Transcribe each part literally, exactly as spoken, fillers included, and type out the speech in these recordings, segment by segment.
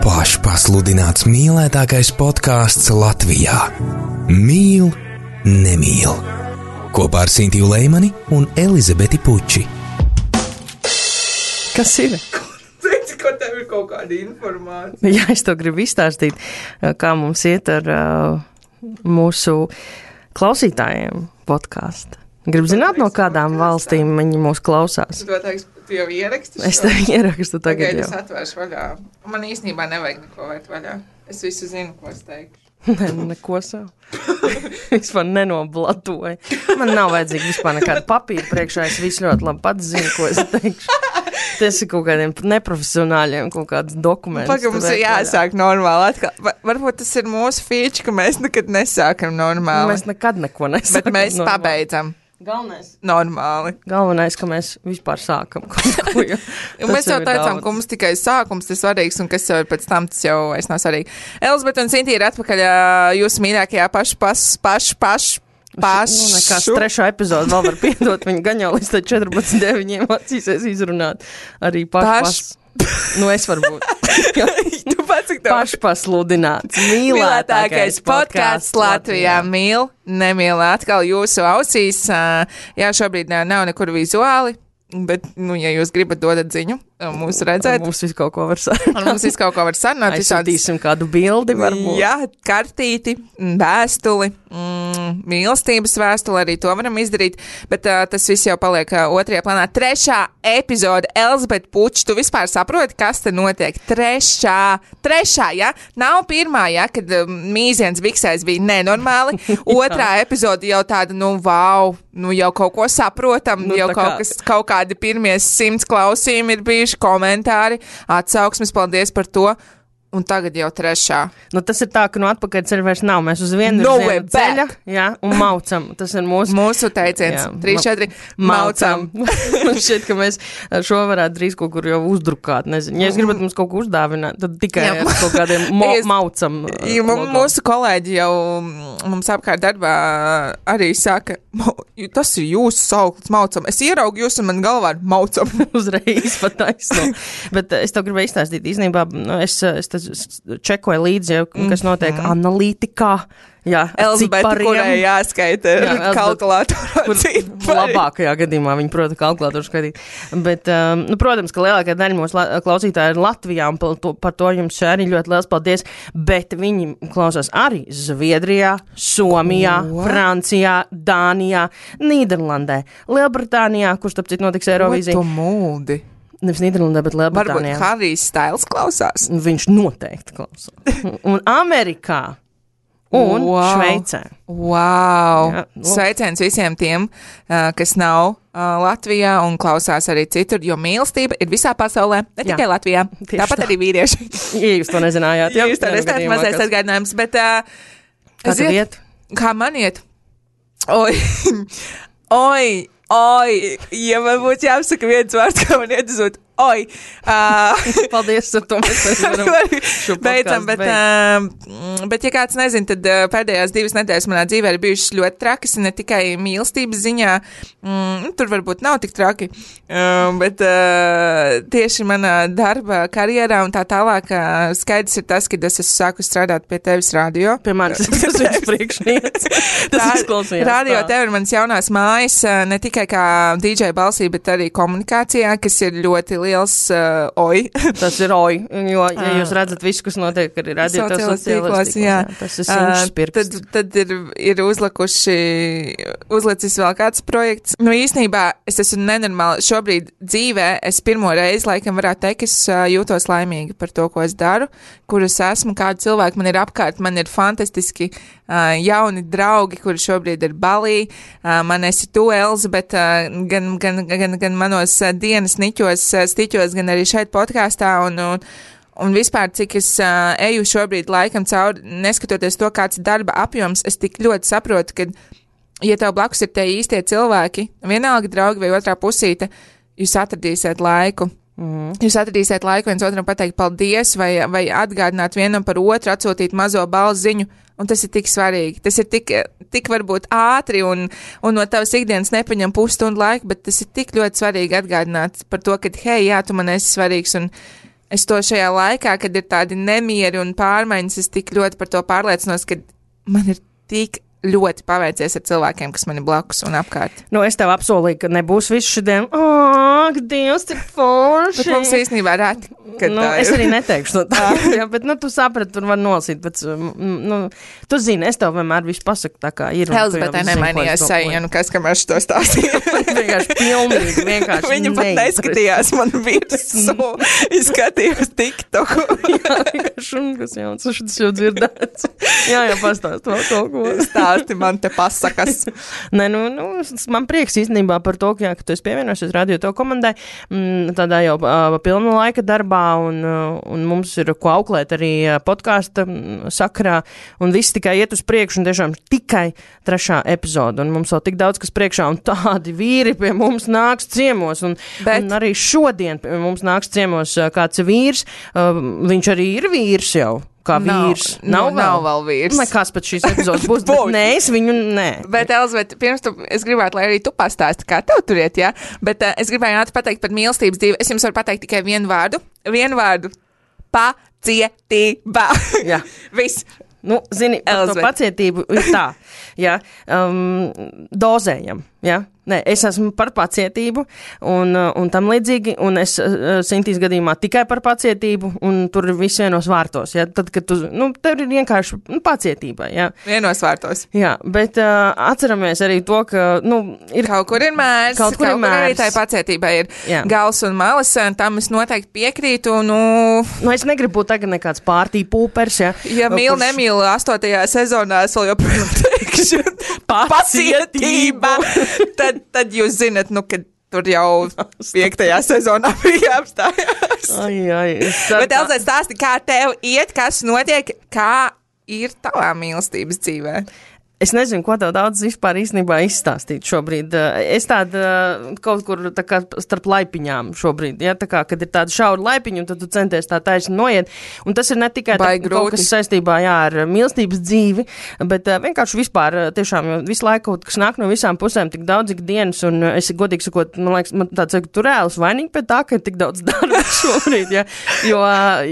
Pašpasludināts mīlētākais podkāsts Latvijā. Mīl, nemīl. Kopā ar Sintiju Leimani un Elizabeti Puči. Kas ir? Teici, ka tev ir kaut kāda informācija. Jā, es to gribu izstāstīt, kā mums iet ar uh, mūsu klausītājiem podkāstu. Gribu zināt, no kādām valstīm viņi mūs klausās. Tu to teiks, tu jau ieraksti? Es to ierakstu tagad Tagad jau. es atvēršu vaļā. Man īstenībā nevajag neko vērt vaļā. Es visu zinu, ko es teikšu. Ne, neko savu. Vispār nenoblatoju. Man nav vajadzīga vispār nekāda papīra priekšā. Es visu ļoti labi pats zinu, ko es teikšu. Tas ir kaut kādiem neprofesionāļiem, kaut kāds dokuments. Pagaid, mums ir jāsāk normāli atkal. Va- Varbūt tas ir mūsu feature, ka mēs nekad nesākam normāli. Mēs nekad neko nesākam. Bet mēs normāli. pabeidzam Galvenais. normāli. Galvenais, ka mēs vispār sākam kaut ko. Jo, Un mēs jau teicām, ka mums tikai sākums ir svarīgs, un kas jau ir pēc tam, tas jau es nav svarīgi. Elizabete un Sintī ir atpakaļ ā, jūsu mīļākajā pašu, pašu, pašu, pašu. Pašu. Nu, nekās trešo epizodu vēl var piedot. Viņi gan jau līdz četrpadsmit deviņiem acīsies izrunāt. Arī pašpas. Nu, es varbūt. Tu pats, cik tev Pašpasludināts. mīlētākais podkāsts Latvijā. Mīl, nemīl atkal jūsu ausīs. Ā, Jā, šobrīd ā, nav nekur vizuāli, bet, nu, ja jūs gribat dodat ziņu, mūs redzēt. Mums visu kaut ko var sarunāt. Un mums visu kaut ko var sarunāt. visādas- Aizsūtīsim kādu bildi varbūt. Jā, kartīti, vēstuli, mm, mīlestības vēstuli, arī to varam izdarīt, bet uh, tas viss jau paliek uh, otrajā plānā. Trešā epizode, Elizabete Puč, tu vispār saproti, kas te notiek? Trešā, trešā, ja? Nav pirmā, ja, kad uh, mīziens viksais bija nenormāli. Otrā epizode jau tāda, nu, wow, nu, jau kaut ko saprotam, Nu, jau tā kaut, kā- kas, kaut kādi pirmie simts klausījumi ir bijuši, komentāri, atsauksmes, paldies par to. Un tagad jau trešā. Nu, tas ir tā, ka no atpakaļ ceļa vairs nav. Mēs uz vienu Nowhere virzienu ceļa, back. jā, un maucam. Tas ir mūsu Mūsu teiciens. Jā, Trīs, ma- četri. Maucam. Man šķiet, ka mēs šo varētu drīz kaut kur jau uzdrukāt. Nezinu. Ja jūs gribat mums kaut ko uzdāvināt, tad tikai Jā. ar kaut kādiem mo Es- maucam. uh, Ja, mu- logo. mūsu kolēģi jau mm, mums apkārt darbā arī saka, "Mau- tas ir jūsu sauklis, maucam. Es ieraugu jūs un man galvā ir maucam. Uzreiz pat taisno. Bet uh, es tev gribēju izstāstīt, īstenībā, nu, es, uh, es tas čekoju līdzi, jau, kas notiek mm -hmm. analītikā. Jā, ar Elizabete, cipariem. kurai jāskaita Jā, Elizabete, kalkulātorā Kur cipari. labākajā gadījumā viņi prota kalkulātoru skatīt. Bet, um, nu, protams, ka lielākā daļa mūsu la klausītāji ir Latvijā, un par to, par to jums arī ļoti liels paldies. Bet viņi klausās arī Zviedrijā, Somijā, Ko? Francijā, Dānijā, Nīderlandē, Lielbritānijā, kurš tāpēc notiks Eirovīzija. Tu mūdi. Nevis Nīderlandē, bet Varbūt Lielbritānijā. Harijs Stails klausās. Viņš noteikti klausās. Un Amerikā un Wow. Šveicē. Wow! Jā, nu. Sveiciens visiem tiem, uh, kas nav uh, Latvijā un klausās arī citur, jo mīlestība ir visā pasaulē, ne Jā. tikai Latvijā. Tieši Tāpat tā. arī vīrieši. Ja jūs to nezinājāt, Jā, jūs tā Vienā nesat gadījumā, mazais kas- atgādinājums, bet uh, Kā tev ziniet, iet? kā man iet? Oi, oi, oi, ja man būtu jāapsaka viens vārds, kā man iet, uzot, oi. Uh, Paldies, ar to mēs arī varam šo Beidzam, podcastu bet, beigt. uh, bet, ja kāds nezina, tad uh, pēdējās divas nedēļas manā dzīvē ir bijušas ļoti trakas, ne tikai mīlestības ziņā, mm, tur varbūt nav tik traki, uh, bet uh, tieši manā darba karjerā un tā tālāk uh, skaidrs ir tas, ka es esmu sākus strādāt pie tevis radio. Pie manis tas ir priekšnieks. Tas izklausījās Radio tā. tev ir manas jaunās mājas, uh, ne tikai kā D J balsī, bet arī komunikācijā, kas ir ļoti liels uh, oi. Tas ir oj, jo, ja jūs redzat visu, kas notiek arī radio, tas Sociālajos sociālajos tīklos, tīklos, jā. jā. Tas ir simts Ā, pirksts. Tad, tad ir, ir uzlikuši, uzlicis vēl kāds projekts. Nu, īsnībā es esmu nenormāli. Šobrīd dzīvē es pirmo reizi, laikam, varētu teikt, es ā, jūtos laimīgi par to, ko es daru, kur es esmu, kādi cilvēki man ir apkārt. Man ir fantastiski ā, jauni draugi, kuri šobrīd ir Balī. Ā, Man esi tu, Elizabete, ā, gan, gan, gan, gan manos ā, dienas niķos, ā, stiķos, gan arī šeit podkāstā. Un, un, Un vispār, cik es uh, eju šobrīd laikam cauri, neskatoties to, kāds ir darba apjoms, es tik ļoti saprotu, ka, ja tev blakus ir tie īstie cilvēki, vienalga draugi vai otrā pusīte, jūs atradīsiet laiku. Mm. Jūs atradīsiet laiku viens otram pateikt paldies vai, vai atgādināt vienam par otru, atsūtīt mazo balss ziņu, un tas ir tik svarīgi. Tas ir tik, tik varbūt ātri un, un no tavas ikdienas nepaņem pusstundu laiku, bet tas ir tik ļoti svarīgi atgādināt par to, ka, hei, jā, tu man esi svarīgs un es to šajā laikā, kad ir tādi nemieri un pārmaiņas, es tik ļoti par to pārliecinos, ka man ir tik ļoti paveicies ar cilvēkiem, kas man ir blakus un apkārt. Nu, es tev apsolīju, ka nebūs viss šodien, ak, Dievs, cik forši. Bet mums īstenībā reti, kad nu, tā ir. Es arī neteikšu no tā, jā, bet, nu, tu saprati, tur var nolasīt, bet, nu, tu zini, es tev vienmēr visu pasaku tā kā ir. Elzbetē nemainījās seja, nu, kas, kam es to stāstīju. vienkārši pilnīgi, vienkārši Viņa pat neskatījās man virsū, izskatījās TikToku. jā, vienkārši, un kas jauns, tas jau dzirdēts. jā, jā, pastāst vēl kaut ko. Stāsti man te pasakas. Nē, nu, nu, man prieks īstenībā par to, ka, jā, ka tu esi pievienojušies radio to komandai, mm, tādā jau uh, pilna laika darbā, un, uh, un mums ir ko auklēt arī uh, podkāsta mm, sakarā, un viss tikai iet uz priekšu, un tiešām tikai trešā epizoda, un mums vēl tik daudz, kas priekšā, un tādi vīri pie mums nāks ciemos, un, Bet... un arī šodien pie mums nāks ciemos uh, kāds vīrs, uh, viņš arī ir vīrs jau. Kā vīrs. Nav, Nav, nav, nav vēl vīrs. Nekas pat šīs epizodes būs, bet nē, es viņu nē. Bet, Elzbet, pirms tu, es gribētu, lai arī tu pastāsti, kā tev tur iet, jā? Bet uh, es gribēju ātri pateikt par mīlestības dzīvi. Es jums varu pateikt tikai vienu vārdu. Vienu vārdu. Pacietība. Jā. Viss. Nu, zini, par to pacietību ir tā, jā, um, dozējam, jā. Nē, es esmu par pacietību un, un tam līdzīgi, un es uh, Sintīs gadījumā tikai par pacietību, un tur ir viss vienos vārtos, jā. Tad, kad tu, nu, tev ir vienkārši nu, pacietība, jā. Vienos vārtos. Jā, bet uh, atceramies arī to, ka, nu, ir... Kaut kur ir mērs, kaut kur, kaut ir kur arī mērs. tai pacietībai ir jā. Gals un malas, tam es noteikti piekrītu, nu... Nu, es negribu būt tagad nekāds pārtī pūpers, jā. Ja mīl, kurš... nemīl astotajā sezonā, es vēl joprojām teikšu pacietība, tad, tad jūs zinat, nu, kad tur jau piektajā sezonā bija apstājās. Ai, ai. Bet, Elzē, stāsti, kā tev iet, kas notiek, kā ir tavā mīlestības dzīvē? Es nezinu, ko tev daudz vispār īstenībā izstāstīt šobrīd. Es tāda kaut kur tā kā starp laipiņām šobrīd, ja, tā kā, kad ir tāda šaura laipiņa, un tad tu centies tā taisni noiet. Un tas ir ne tikai tā, kaut kas saistībā, jā, ar mīlestības dzīvi, bet uh, vienkārši vispār tiešām visu laiku kaut kas nāk no visām pusēm, tik daudz ikdienas, un es godīgi sakot, man liekas, man tāds, ka tu reāls vainīgi pie tā, ka ir tik daudz darba šobrīd, ja, jo,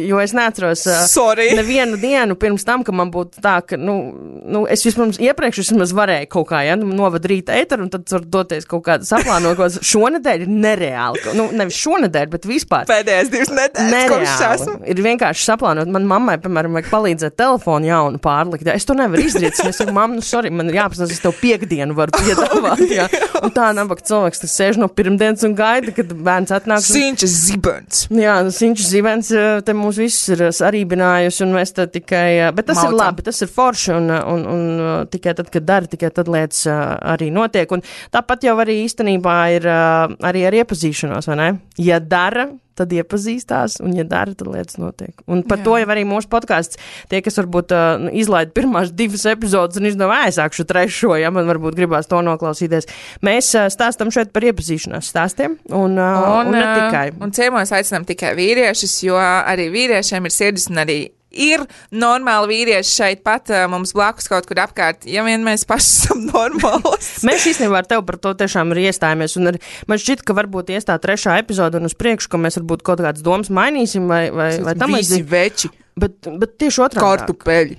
jo es neatceros uh, nevienu dienu pirms tam, ka man būtu tā, ka, nu, nu es vispirms iepriekš vismaz varēju kaut kā, ja, novada rīta ēteru, un tad var doties kaut kāda saplānot, ko šonedēļ ir nereāli. Nu, nevis šonedēļ, bet vispār. Pēdējais divas nedēļas, kurš esmu. Ir vienkārši saplānot. Man mammai, piemēram, vajag palīdzēt telefonu jaunu pārlikt. Ja. Es to nevaru izdarīt. Es saku, mamma, nu, sorry, man ir jāpasās, es tev piekdienu varu piedāvāt. Ja. Un tā nabaga cilvēks, tas sēž no pirmdienas un gaida, kad bērns atnāks. Un... Sinčs zibens. Jā, Sinčs zibens, te mūs viss ir sarībinājusi, un mēs te tikai, bet tas Maucam. Ir labi, tas ir forši, un, un, un tikai tad, kad dara, tikai tad lietas uh, arī notiek. Un tāpat jau arī īstenībā ir uh, arī ar iepazīšanos, vai ne? Ja dara, tad iepazīstās, un ja dara, tad lietas notiek. Un par Jā. To jau arī mūsu podkāsts, tie, kas varbūt uh, izlaida pirmās divas epizodes un izdomā, aizsākšu trešo, ja man varbūt gribās to noklausīties. Mēs uh, stāstam šeit par iepazīšanās stāstiem, un, uh, un, un ne tikai. Un ciemos aicinām tikai vīriešus, jo arī vīriešiem ir sirdis un arī ir normāli vīrieši šeit pat uh, mums blakus kaut kur apkārt, ja vien mēs paši esam normāls. Mēs īstenībā ar tevi par to tiešām arī iestājāmies, un ar, man šķiet, ka varbūt iestā trešā epizoda un uz priekšu, ka mēs varbūt kaut kādas domas mainīsim, vai, vai, vai tam visi veči. Bet, bet tieši otrādāk. Kartupeļi.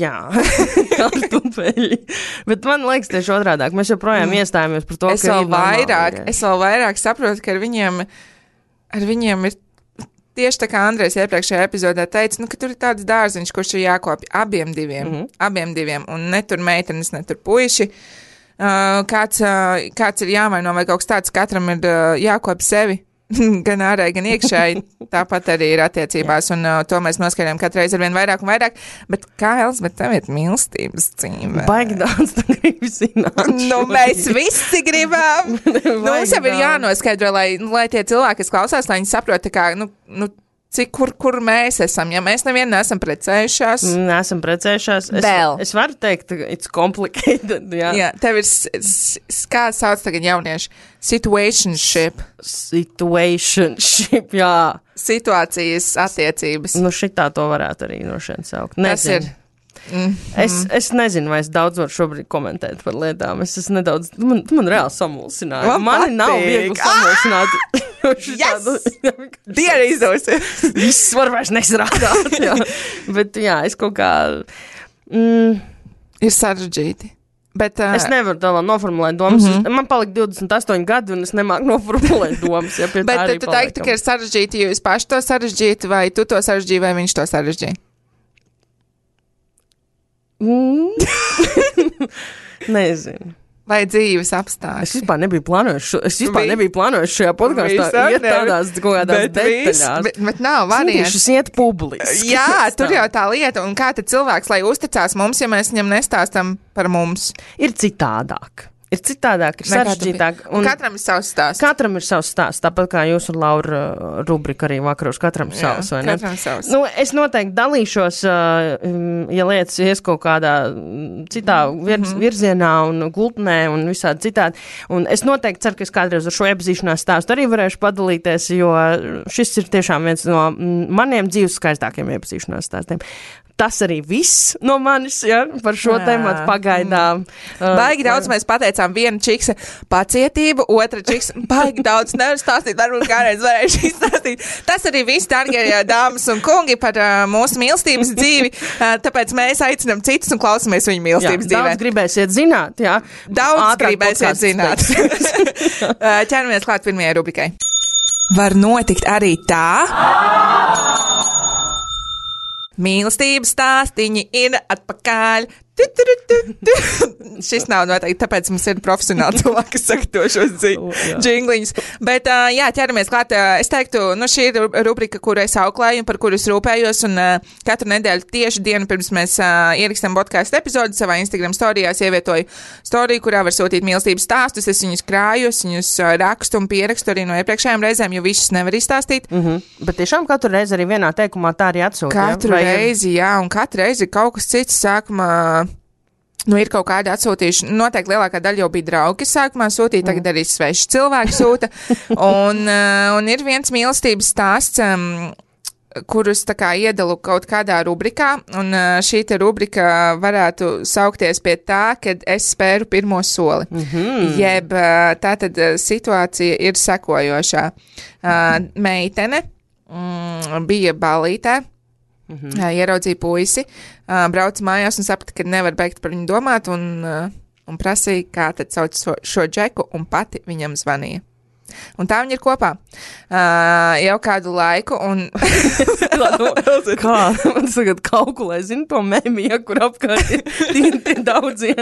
Jā, kartupeļi. Bet man liekas tieši otrādāk. Mēs joprojām mm. iestājāmies par to, es ka vēl vairāk, es vēl vairāk saprotu, ka ar viņiem, ar viņiem ir tieši tā kā Andrejs iepriekšējā epizodē teica, nu, ka tur ir tāds dārziņš, kurš ir jākopja abiem diviem, mm-hmm. abiem diviem, un ne tur meitenes, ne tur puiši. Uh, kāds, uh, kāds ir jāmaino vai kaut kas tāds, katram ir uh, jākopja sevi, gan ārēji, gan iekšēji. Tāpat arī ir attiecībās, un uh, to mēs noskaidrojam katru reizi ar vien vairāk un vairāk. Bet kā, Elzbet, tev ir mīlestības dzīve? Baigi daudz, tā gribi zināt. Nu, mēs visi gribam. Nu, mums jau ir jānoskaidro, lai, lai tie cilvēki, kas klausās, lai viņi saprot, kā, nu, nu, cik, kur, kur mēs esam, ja mēs nevienu neesam precējušās. Neesam precējušās. Es, Vēl. Es varu teikt, it's complicated, jā. Jā, tev ir, kā sauc tagad jaunieši, situationship. Situationship, jā. Situācijas attiecības. Nu, šitā to varētu arī no šeit saukt. Nezinu. Tas ir. Mm, es, mm. es nezinu, vai es daudz varu šobrīd komentēt par lietām. Es esmu nedaudz, man, man reāli samulsināju. Man Mani patīk. nav viegli samulsināt. Yes! Diena izdosies! Viss var vairs nestrādāt, jā. Bet, jā, es kaut kā... Mm, ir sarežģīti. Bet, uh, es nevaru tā vēl noformulēt domas. Mm -hmm. Man palika divdesmit astoņi gadi, un es nemāku noformulēt domas. Ja, bet tu teiktu, ka ir sarežģīti, jo jūs paši to sarežģīti, vai tu to sarežģīji, vai viņš to sarežģīja? Mm. Nezinu. Vai dzīves apstākļi? Es vispār nebiju plānojis, šo, es vispār Vi... nebiju plānojis šajā podkāstā iet tādās kaut kādās bet detaļās. Bet, bet nav variants. Šis iet publiski. Jā, tur jau tā lieta, un kā tad cilvēks, lai uzticās mums, ja mēs viņam nestāstam par mums? Ir citādāk. Ir citādāk, ir sarežģītāk. Un katram ir savs stāsts. Katram ir savs stāsts, tāpat kā jūs un Laura rubrika arī vakaros, katram Jā, savs, vai ne? Katram savs. Nu, es noteikti dalīšos, ja lietas ies kaut kādā citā vir, mm-hmm. virzienā un gultnē un visādi citādi. Un es noteikti ceru, ka es kādreiz ar šo iepazīšanās stāstu arī varēšu padalīties, jo šis ir tiešām viens no maniem dzīves skaistākiem iepazīšanās stāstiem. Tas arī viss no manis, ja, par šo tēmatu pagaidām. Mm. Baigi daudz mēs pateicām, viena čiksa pacietību, otra čiksa baigi daudz nevar stāstīt, varbūt kādreiz varēšu izstāstīt. Tas arī viss, dārgie dāmas un kungi, par uh, mūsu mīlestības dzīvi, uh, tāpēc mēs aicinām citus un klausamies viņu mīlestības dzīvē. Daudz gribēsiet zināt, jā. Daudz Ātrāk gribēsiet zināt. Ķeramies klāt pirmajai rubrikai. Var notikt arī tā... Mīlestības stāstiņi ir atpakaļ. Tu, tu, tu, tu. Šis nav noteikti, tāpēc mums ir profesionāli cilvēki, kas saka to šos džingliņus. Bet, uh, jā, ķeramies klāt. Uh, es teiktu, nu šī ir rubrika, kuru es auklēju un par kuru es rūpējos, un uh, katru nedēļu tieši dienu pirms mēs uh, ierakstam podcastu epizodu savā Instagram storijās ievietoju storiju, kurā var sūtīt mīlestības stāstus. Es viņus krāju, es viņus uh, rakstu un pierakstu arī no iepriekšējām reizēm, jo visus nevar izstāstīt. Mm-hmm. Bet tiešām katru reizi arī vienā teikumā tā arī atsūta. Katru ja? reizi, jā, un katru reizi kaut kas cits sākumā. Nu, ir kaut kādi atsūtījuši. Noteikti lielākā daļa jau bija draugi, kas sākumā sūtīja, tagad mm. arī sveši cilvēki sūta. Un, uh, un ir viens mīlestības stāsts, um, kurus tā kā iedalu kaut kādā rubrikā, un uh, šī te rubrika varētu saukties pie tā, kad es spēru pirmo soli. Mm-hmm. Jeb uh, tā tad uh, situācija ir sekojošā. Uh, meitene mm, bija ballītē. Mm-hmm. Uh, ieraudzīja puisi, uh, brauca mājās un saprata, ka nevar beigt par viņu domāt, un, uh, un prasīja, kā tad sauc šo, šo džeku, un pati viņam zvanīja. Un tā viņi ir kopā uh, jau kādu laiku, un... Kā? Man tagad kalkulē, zinu to mēmiju, kur apkārt ir tie, tie daudzie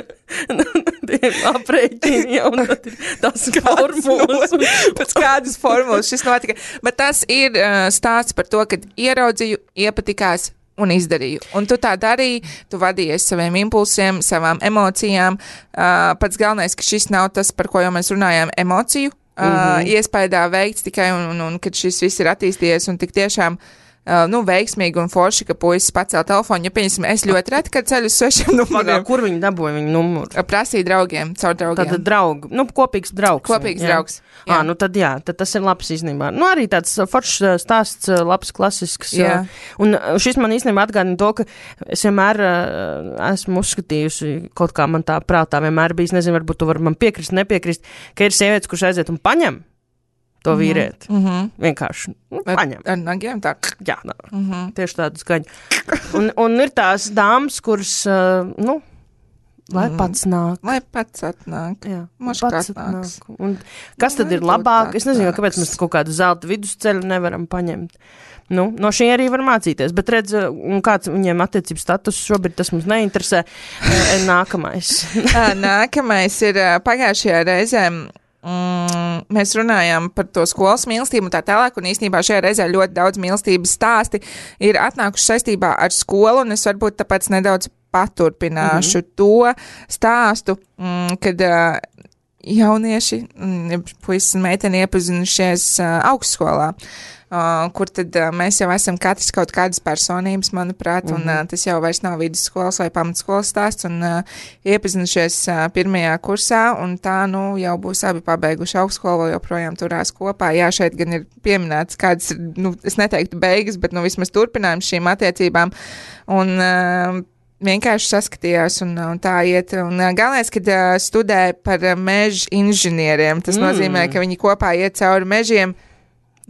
tie aprēķini, ja, un tad ir tās formulas. Pēc kādas formulas šis notika. Bet tas ir uh, stāsts par to, kad ieraudzīju, iepatikās un izdarīju. Un tu tā darīji, tu vadījies saviem impulsiem, savām emocijām. Uh, pats galvenais, ka šis nav tas, par ko jau mēs runājām, emociju. Uh, mm-hmm. Iespējā veikts tikai, un, un, un kad šis viss ir attīstījies, un tik tiešām uh, nu, veiksmīgi un forši, ka puisis pacēla telefonu, ja, pieņemsim, es ļoti reti, kad ceļu uz svešiem numuriem. Kur viņi dabūja viņu numuru? Prasīja draugiem, caur draugiem. Tad draugi, nu, kopīgs draugs. Kopīgs jā. draugs. Jā, nu tad jā, tad tas ir labs īstenībā. Nu, arī tāds foršs stāsts, labs, klasisks. Jā. Un šis man īstenībā atgādina to, ka es vienmēr uh, esmu uzskatījusi, kaut kā man tā prātā vienmēr bijis, nezinu, varbūt tu vari man piekrist, nepiekrist, ka ir sievietes, kurš aiziet un paņem to mm-hmm. vīrieti. Mm-hmm. Vienkārši nu, ar, paņem. Ar nagiem tā. Jā, nā, mm-hmm. tieši tādu skaņu. Un, un ir tās dāmas, kuras, uh, nu, lai mm. pats nāk. Lai pats atnāk. Jā, Moš pats atnāk. Un kas tad lai ir labāk? Es nezinu, kāpēc mēs kaut kādu zelta vidusceļu nevaram paņemt. Nu, no šī arī var mācīties, bet redz, un kāds viņiem attiecības status šobrīd, tas mums neinteresē. Nākamais. Nākamais ir pagājušajā reizē. Mm, mēs runājām par to skolas mīlestību un tā tālāk, un īstenībā šajā reizē ļoti daudz mīlestības stāsti ir atnākuši saistībā ar skolu, un es varbūt tāpēc nedaudz paturpināšu mm-hmm. to stāstu, mm, kad uh, jaunieši, mm, puisis un meiteni iepazinušies uh, augstskolā. Uh, kur tad uh, mēs jau esam katrs kaut kādas personības, manuprāt, mm-hmm. un uh, tas jau vairs nav vidusskolas vai pamatskolas stāsts, un uh, iepazinušies uh, pirmajā kursā, un tā, nu, jau būs abi pabeiguši augstskolu, vēl joprojām turās kopā. Jā, šeit gan ir pieminēts kādas, nu, es neteiktu beigas, bet, nu, vismaz turpinājums šīm attiecībām, un uh, vienkārši saskatījās, un, un tā iet, un uh, galvenais, kad uh, studē par uh, meža inženieriem, tas mm. nozīmē, ka viņi kopā iet cauri mežiem,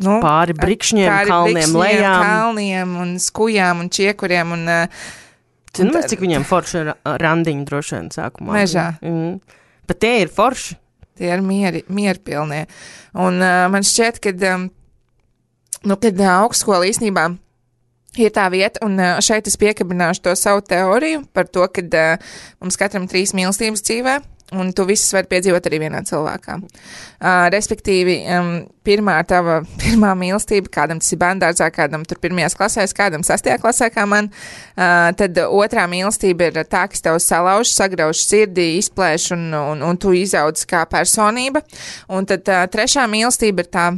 Nu, pāri brikšņiem, pāri kalniem, brikšņiem, lejām. kalniem un skujām un čiekuriem. Un, Cinu, un cik viņiem forši ir randiņi droši vien sākumā. Mežā. Mm. Bet tie ir forši. Tie ir mieri, mierpilnie. Un uh, man šķiet, ka, um, nu, kad uh, augstskola īstenībā ir tā vieta, un uh, šeit es piekabināšu to savu teoriju par to, ka uh, mums katram trīs mīlestības dzīvē, un tu visas vari piedzīvot arī vienā cilvēkā. Uh, respektīvi, um, pirmā tava, pirmā mīlestība, kādam tas ir bērndārzā, kādam tur pirmajās klasēs, kādam sastajā klasē kā man, uh, tad otrā mīlestība ir tā, kas tev salauž, sagrauž sirdī, izplēš un, un, un tu izaudz kā personība. Un tad uh, trešā mīlestība ir tā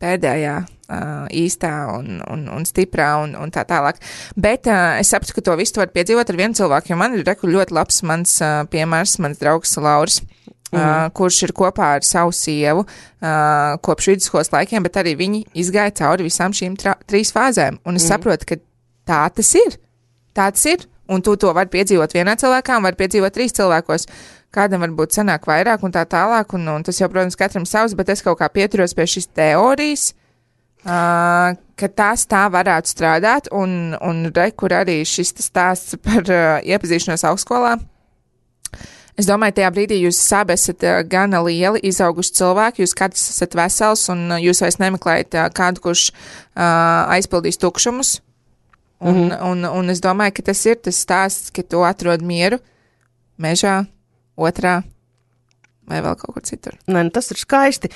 pēdējā. Uh, īstā un, un, un stiprā un, un tā tālāk. Bet uh, es sapratu, ka to visu var piedzīvot ar vienu cilvēku, jo man ir reku ļoti labs mans uh, piemērs, mans draugs Lauris, uh, mm. kurš ir kopā ar savu sievu uh, kopš vidusskolas laikiem, bet arī viņi izgāja cauri visām šīm tra- trīs fāzēm. Un es mm. saprotu, ka tā tas ir. Tā tas ir. Un tu to vari piedzīvot vienā cilvēkā un vari piedzīvot trīs cilvēkos. Kādam varbūt sanāk vairāk un tā tālāk, un, un tas jau, protams, katram savs, bet es kaut kā pieturos pie šīs teorijas, Uh, ka tās tā varētu strādāt, un, un re, kur arī šis stāsts par uh, iepazīšanos augstskolā. Es domāju, tajā brīdī jūs abi esat uh, gana lieli, izauguši cilvēki, jūs katrs esat vesels, un uh, jūs vairs nemeklējat uh, kādu, kurš uh, aizpildīs tukšumus. Un, mm-hmm. un, un, un es domāju, ka tas ir tas stāsts, ka tu atrod mieru mežā, otrā. Vai vēl kaut kur citur. Nē, nu tas ir skaisti,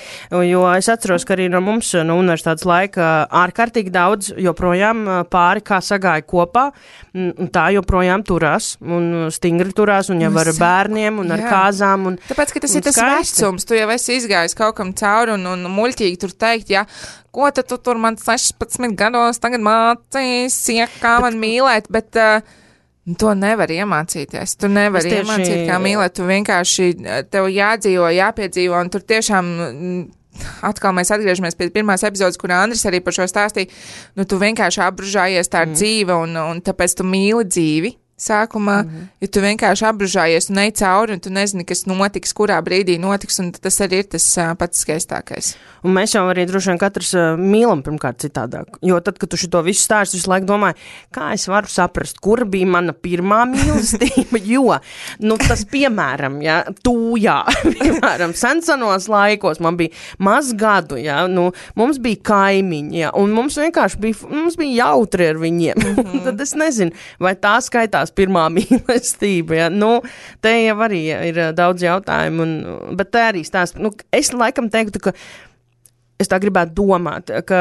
jo es atceros, ka arī no mums no universitātes laika ārkārtīgi daudz joprojām pāri kā sagāja kopā, un tā joprojām turās, un stingri turās, un jau ar bērniem, un ar Jā. kāzām. Un, Tāpēc, ka tas ir tas skaisti. vecums, tu jau esi izgājis kaut kam cauri, un, un muļķīgi tur teikt, ja, ko tad tu tur man sešpadsmit gados tagad mācīs, ja, kā man mīlēt, bet... Uh, To nevar iemācīties. Tu nevar tieši... iemācīt, kā mīlēt. Tu vienkārši tev jādzīvo, jāpiedzīvo, un tur tiešām atkal mēs atgriežamies pie pirmās epizodes, kur Andris arī par šo stāstīja. Nu, tu vienkārši apbružājies tā ar mm. dzīve, un, un tāpēc tu mīli dzīvi sākumā, mm-hmm. ja tu vienkārši apbružājies un ej cauri, un tu nezini, kas notiks, kurā brīdī notiks, un tas arī ir tas uh, pats skaistākais. Un mēs jau arī droši vien katrs uh, mīlam pirmkārt citādāk, jo tad, kad tu šito visu stāstu, visu laiku domāji, kā es varu saprast, kur bija mana pirmā mīlestība, jo, nu, tas piemēram, ja, tūjā, piemēram, sensenos laikos, man bija maz gadu, ja, nu, mums bija kaimiņi, ja, un mums vienkārši bija, mums bija jautri ar viņiem, mm-hmm. tad es nezinu, vai tā skaitās pirmā mīlestība, ja? Nu, te jau arī ir daudz jautājumu, un, bet te arī stāst, nu, es laikam teiktu, ka es tā gribētu domāt, ka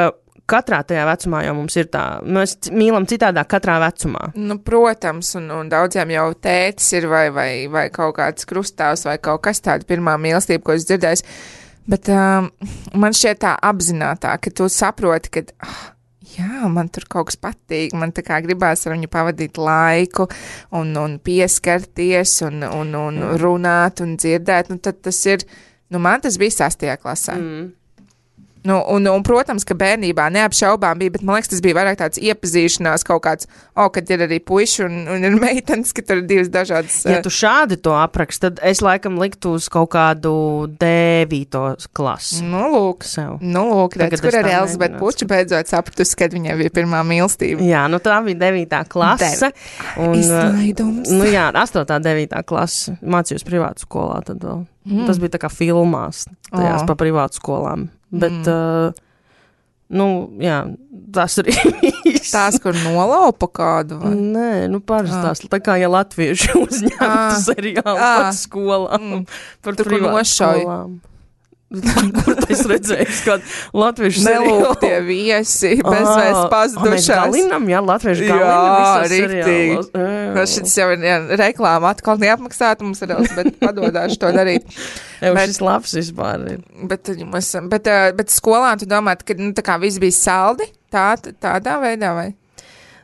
katrā tajā vecumā jau mums ir tā, mēs mīlam citādāk katrā vecumā. Nu, protams, un, un daudziem jau tētis ir vai, vai, vai kaut kāds krustāvs vai kaut kas tāda pirmā mīlestība, ko es dzirdēju, bet um, man šķiet tā apzinātā, ka tu saproti, ka... Oh, jā, man tur kaut kas patīk, man tā kā gribās ar viņu pavadīt laiku un, un pieskarties un, un, un runāt un dzirdēt, nu tad tas ir, nu man tas bija sastajā klasē. Mm. Nu, un, un, protams, ka bērnībā neapšaubām bija, bet man liekas, tas bija vairāk tāds iepazīšanās kaut kāds, o, kad ir arī puiši un, un ir meitenes, ka tur ir divas dažādas. Ja tu šādi to aprakst, tad es laikam liktu uz kaut kādu devīto klasi. Nu, lūk, sev. Nu, lūk, redz, kur arī Elizabete Puča beidzot sapratusi, kad viņai bija pirmā mīlestība. Jā, nu tā bija devītā klase. Un, izlaidums. Nu jā, astotā devītā klase. Mācījos privātu skolā tad vēl. Mm. Tas bija tā kā filmās, tajās oh. pa privātu skolām. Bet, mm. uh, nu, jā, tas arī viss. Tās, kur nolaupa kādu? Vai? Nē, nu, parasti tās, tā kā, ja latvieši uzņemtu seriālu par skolām, mm. par tur, privātu skolām. Kur es redzēju, kad latviešu nelūk tie viesi, bezvēs pazudušās. Mēs galinam, jā, latviešu galinam. Jā, riktīgi. Šis jau ir jā, reklāma atkal neapmaksāta mums ar Elz, bet padodāšu to darīt. Jau bet, šis labs vispār ir. Bet, bet, bet, bet skolā tu domāt, ka nu, tā kā viss bija saldi, tā, tādā veidā vai?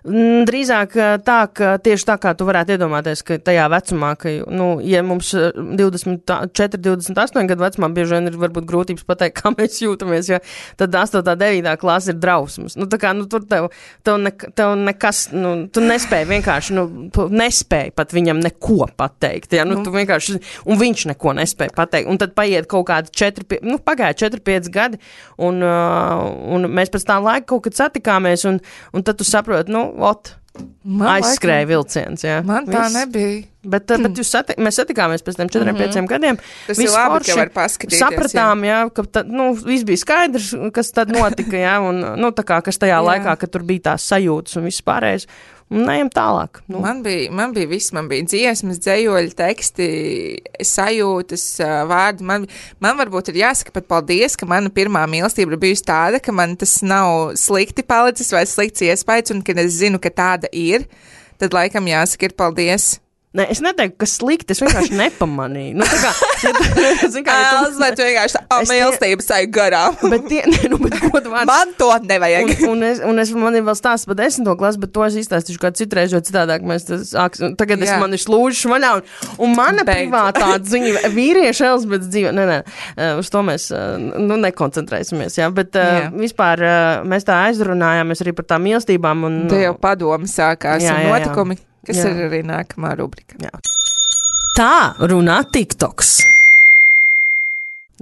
Drīzāk tā, ka tieši tā, kā tu varētu iedomāties, ka tajā vecumā, ka, nu, ja mums divdesmit četri, divdesmit astoņi gadu vecumā bieži vien ir varbūt grūtības pateikt, kā mēs jūtamies, jo tad astotā, devītā klase ir drausmas. Nu, tā kā, nu, tur tev, tev, ne, tev nekas, nu, tu nespēji vienkārši, nu, tu nespēji pat viņam neko pateikt, ja, nu, tu vienkārši, un viņš neko nespēja pateikt, un tad paiet kaut kādi četri, nu, pagāja četri, pieci gadi, un, uh, un mēs pēc tā laika kaut kad satikāmies, un, un tad tu saproti, nu, ot, aizskrēja vilciens, jā. Man tā Viss. nebija. Bet, mm. bet jūs sati, mēs satikāmies pēc tiem četriem, mm-hmm. pieciem gadiem. Tas ir labi, ka var paskatīties. Sapratām, jā, jā ka tad, nu, viss bija skaidrs, kas tad notika, jā, un, nu, tā kā, kas tajā jā. laikā, kad tur bija tās sajūtas un viss pārējais, un neejam tālāk. Nu. Man bija, man bija viss, man bija dziesmas, dzējoļi, teksti, sajūtas, vārdi. Man, man varbūt ir jāsaka pat paldies, ka mana pirmā mīlestība ir bijusi tāda, ka man tas nav slikti palicis vai slikts iespējas, un kad es zinu, ka tāda ir, tad laikam jāsaka ir paldies. Nē, es neteiktu, ka slikti, es vienkārši nepamanīju. Nu, tā kā, ja tu, zin kā, ja tu, tu vienkārši tā mīlestības tai garām. Bet tie, ne, nu, bet godu vārds. Man to nevajag. Un, un, es, un es, man ir vēl stāsts par desmito klasu, bet to es izstāstīšu kā citreiz, jo citādāk mēs tas, tagad es, man ir slūžas vaļā, un, un mana Beidz. privātā dzīve, vīrieša Elizabetes dzīve, nē, nē, uz to mēs, nu, nekoncentrēsimies, jā, bet jā. vispār mēs tā aizrunājāmies arī par tām mīlestībām. Un, te jau padomi sākās jā, un jā, notikumi. Jā. Kas Jā. ir arī nākamā rubrika. Jā. Tā runā TikToks.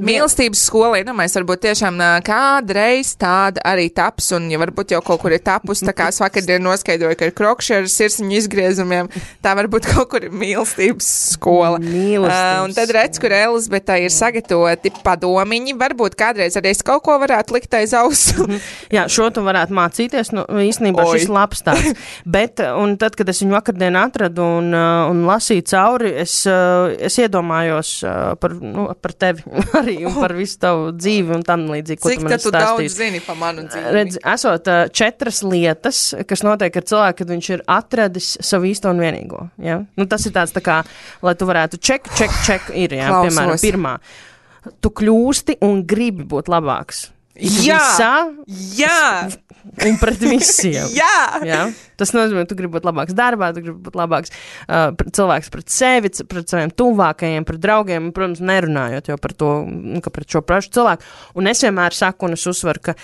Mīlestības skola, iedomājies, varbūt tiešām kādreiz tāda arī taps, un ja varbūt jau kaut kur ir tapus, tā kā es vakardien noskaidroju, ka ir krokši ar sirsniņu izgriezumiem, tā varbūt kaut kur ir mīlestības skola. Mīlestības. Uh, un tad redz, kur Elizabetei ir sagatavoti padomiņi, varbūt kādreiz arī es kaut ko varētu likt aiz ausu. Jā, šo tu varētu mācīties, nu, īstenībā Oi. šis labs tāds. Bet, un tad, kad es viņu vakardien atradu un, un lasīju cauri, es, es iedomājos par, nu, par tevi arī un par visu tavu dzīvi un tam līdzīgi, ko Cik tu man esi stāstījis. Cik tu daudz zini par manu dzīvi? Redz, esot uh, četras lietas, kas notiek ar cilvēku, kad viņš ir atradis savu īsto un vienīgo. Ja? Nu, tas ir tāds tā kā, lai tu varētu ček, ček, ček ir, jā, Klausos. piemēram, pirmā. Tu kļūsti un gribi būt labāks. Jā! Visā, Jā! Un pret visiem. Jā! Jā! Tas nozīmē, tu gribi būt labāks darbā, tu gribi būt labāks uh, cilvēks pret sevi, pret saviem tuvākajiem, pret draugiem, un, protams, nerunājot jau par to, ka pret šo prašu cilvēku. Un es vienmēr saku, un es uzsveru, ka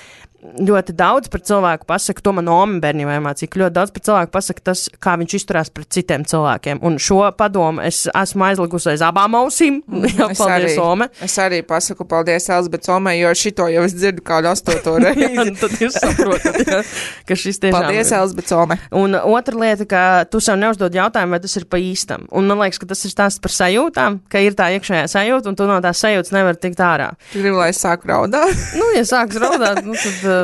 ļoti daudz par cilvēku pasaka, to man Oma bērnībā mācīja, ka ļoti daudz par cilvēku pasaka tas, kā viņš izturās pret citiem cilvēkiem. Un šo padomu es esmu aizlikusi aiz abām ausīm. Jā, es paldies, arī, Ome. Es arī pasaku paldies Elizabetes Omei, jo šito jau es dzirdu kādu astoto reizi. Jā, tad jūs saprotat, jā, ka šis tiešām paldies, ir. Elizabetes Omei. Un otra lieta, ka tu sev neuzdod jautājumu, vai tas ir pa īstam. Un man liekas, ka tas ir stāsts par sajūtām, ka ir tā iekšējā sajūta, un tu no tās sajūtas nevar tikt ārā. Tu gribi, lai es sāku raudāt? Nu, ja sāks raudāt, nu, tad... Uh,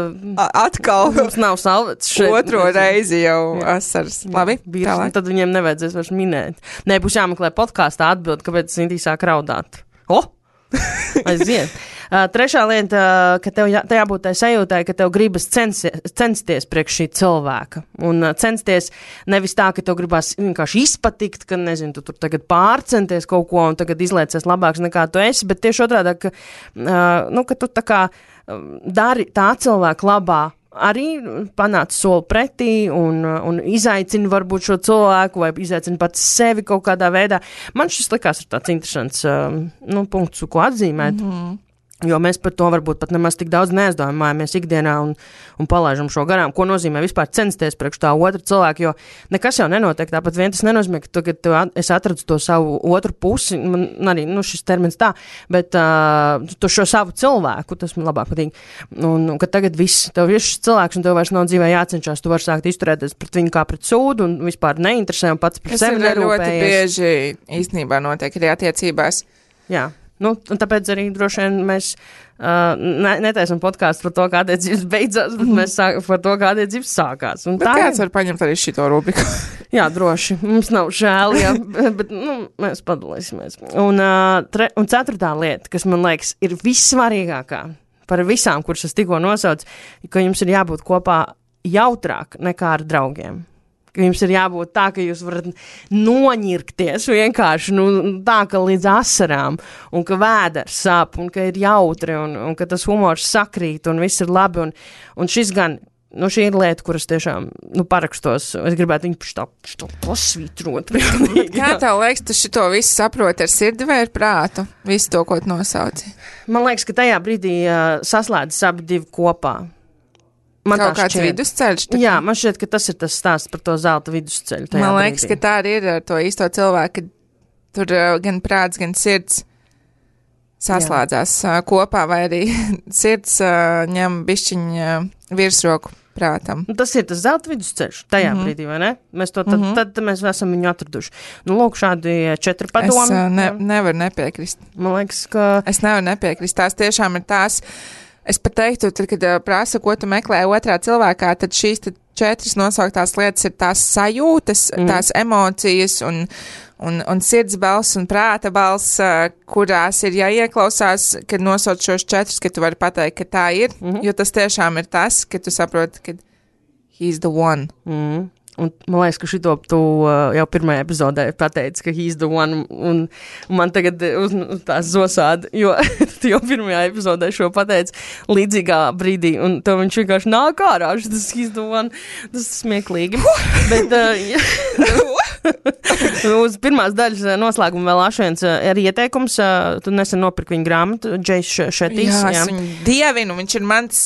Atkal. Mums nav salvets šeit. Otro reizi jau asaras. Labi, tālāk. Tad viņiem nevajadzēs vairs minēt. Nē, būs jāmeklē podkāstā atbild, kāpēc Sintī sāk raudāt. O! Aiziet. Uh, trešā lieta, uh, ka tev jā, jābūt tai sajūtai, ka tev gribas censties, censties priekš šī cilvēka. Un uh, censties nevis tā, ka tev gribas vienkārši izpatikt, ka, nezinu, tu tur tagad pārcenties kaut ko un tagad izliecies labāks nekā tu esi, bet tieši otrādā, ka, uh, nu, ka tu tā kā dari tā cilvēka labā, arī panāc soli pretī un, un izaicini varbūt šo cilvēku vai izaicini pats sevi kaut kādā veidā. Man šis likās ir tāds interesants um, nu, punkts, ko atzīmēt. Mm-hmm. Jo mēs par to varbūt pat nemaz tik daudz neaizdomājamies ikdienā un, un palaižam šo garām. Ko nozīmē vispār censties priekš tā otra cilvēka, jo nekas jau nenotiek. Tāpat vien tas nenozīmē, ka tagad tu, es atradu to savu otru pusi, man arī, nu, šis termins tā, bet uh, to šo savu cilvēku, tas man labāk patīk. Un, un ka tagad viss, tev ir šis cilvēks un tev vairs nav dzīvē jācenšas, tu vari sākt izturēties pret viņu kā pret sūdu un vispār neinteresē un pats par sevi nerūpējies. Tas ļoti bieži īstenībā notiek arī attiecībās. Jā. Nu, un tāpēc arī droši vien mēs uh, ne, netaisam podkāstu par to, kā attiecības beidzās, bet mēs sāk, par to, kā attiecības sākās. Un bet tā kāds ir... var paņemt arī šito rubriku? Jā, droši. Mums nav žēl, jā, bet nu, mēs padalīsimies. Un, uh, tre, un ceturtā lieta, kas man liekas ir vissvarīgākā par visām, kuras es tikko nosaucu, ka jums ir jābūt kopā jautrāk nekā ar draugiem. Ka jums ir jābūt tā, ka jūs varat noņirkties vienkārši, nu, tā, ka līdz asarām, un ka vēders sāp, un ka ir jautri, un, un ka tas humors sakrīt, un viss ir labi, un, un šis gan nu, šī ir lieta, kuras tiešām, nu, parakstos. Es gribētu viņu tā, tā pasvītrot. Kā tev liekas, tu šito visu saproti ar sirdi vai ar prātu? Visu to, ko tu nosauci? Man liekas, ka tajā brīdī uh, saslēdzas abi divi kopā. Man kaut kāds šķiet. Vidusceļš? Tā? Jā, man šķiet, ka tas ir tas stāsts par to zelta vidusceļu. Man liekas, brīdī. Ka tā arī ir ar to īsto cilvēku, ka tur uh, gan prāts, gan sirds saslēdzās uh, kopā, vai arī sirds uh, ņem bišķiņu uh, virsroku prātam. Tas ir tas zelta vidusceļš tajā mm-hmm. brīdī, vai ne? Mēs to tad, mm-hmm. tad, tad mēs esam viņu atraduši. Nu, lūk, šādi četri padomi. Es uh, ne, nevaru nepiekrist. Man liekas, ka... Es nevaru nepiekrist. Tās tiešām ir tās... Es pat teiktu, tad, kad uh, prasa, ko tu meklē otrā cilvēkā, tad šīs tad četras nosauktās lietas ir tās sajūtas, mm. tās emocijas un, un, un sirds balss un prāta balss, uh, kurās ir jāieklausās, kad nosauc šos četrus, ka tu vari pateikt, ka tā ir, mm-hmm. jo tas tiešām ir tas, ka tu saproti, ka he's the one. Mm. Un man liekas, ka šito tu uh, jau pirmajā epizodē pateici, ka he's the one, un, un man tagad uz, uz tās zosāda, jo tu jau pirmajā epizodē šo pateici līdzīgā brīdī, un tev viņš vienkārši nāk ārā, tas he's the one, tas smieklīgi. Bet uh, uz pirmās daļas noslēguma vēl ašviens uh, ir ieteikums, uh, tu nesen nopirki viņa grāmatu, Džejs Šetīs. Jā, jā. Es viņu dievinu, viņš ir mans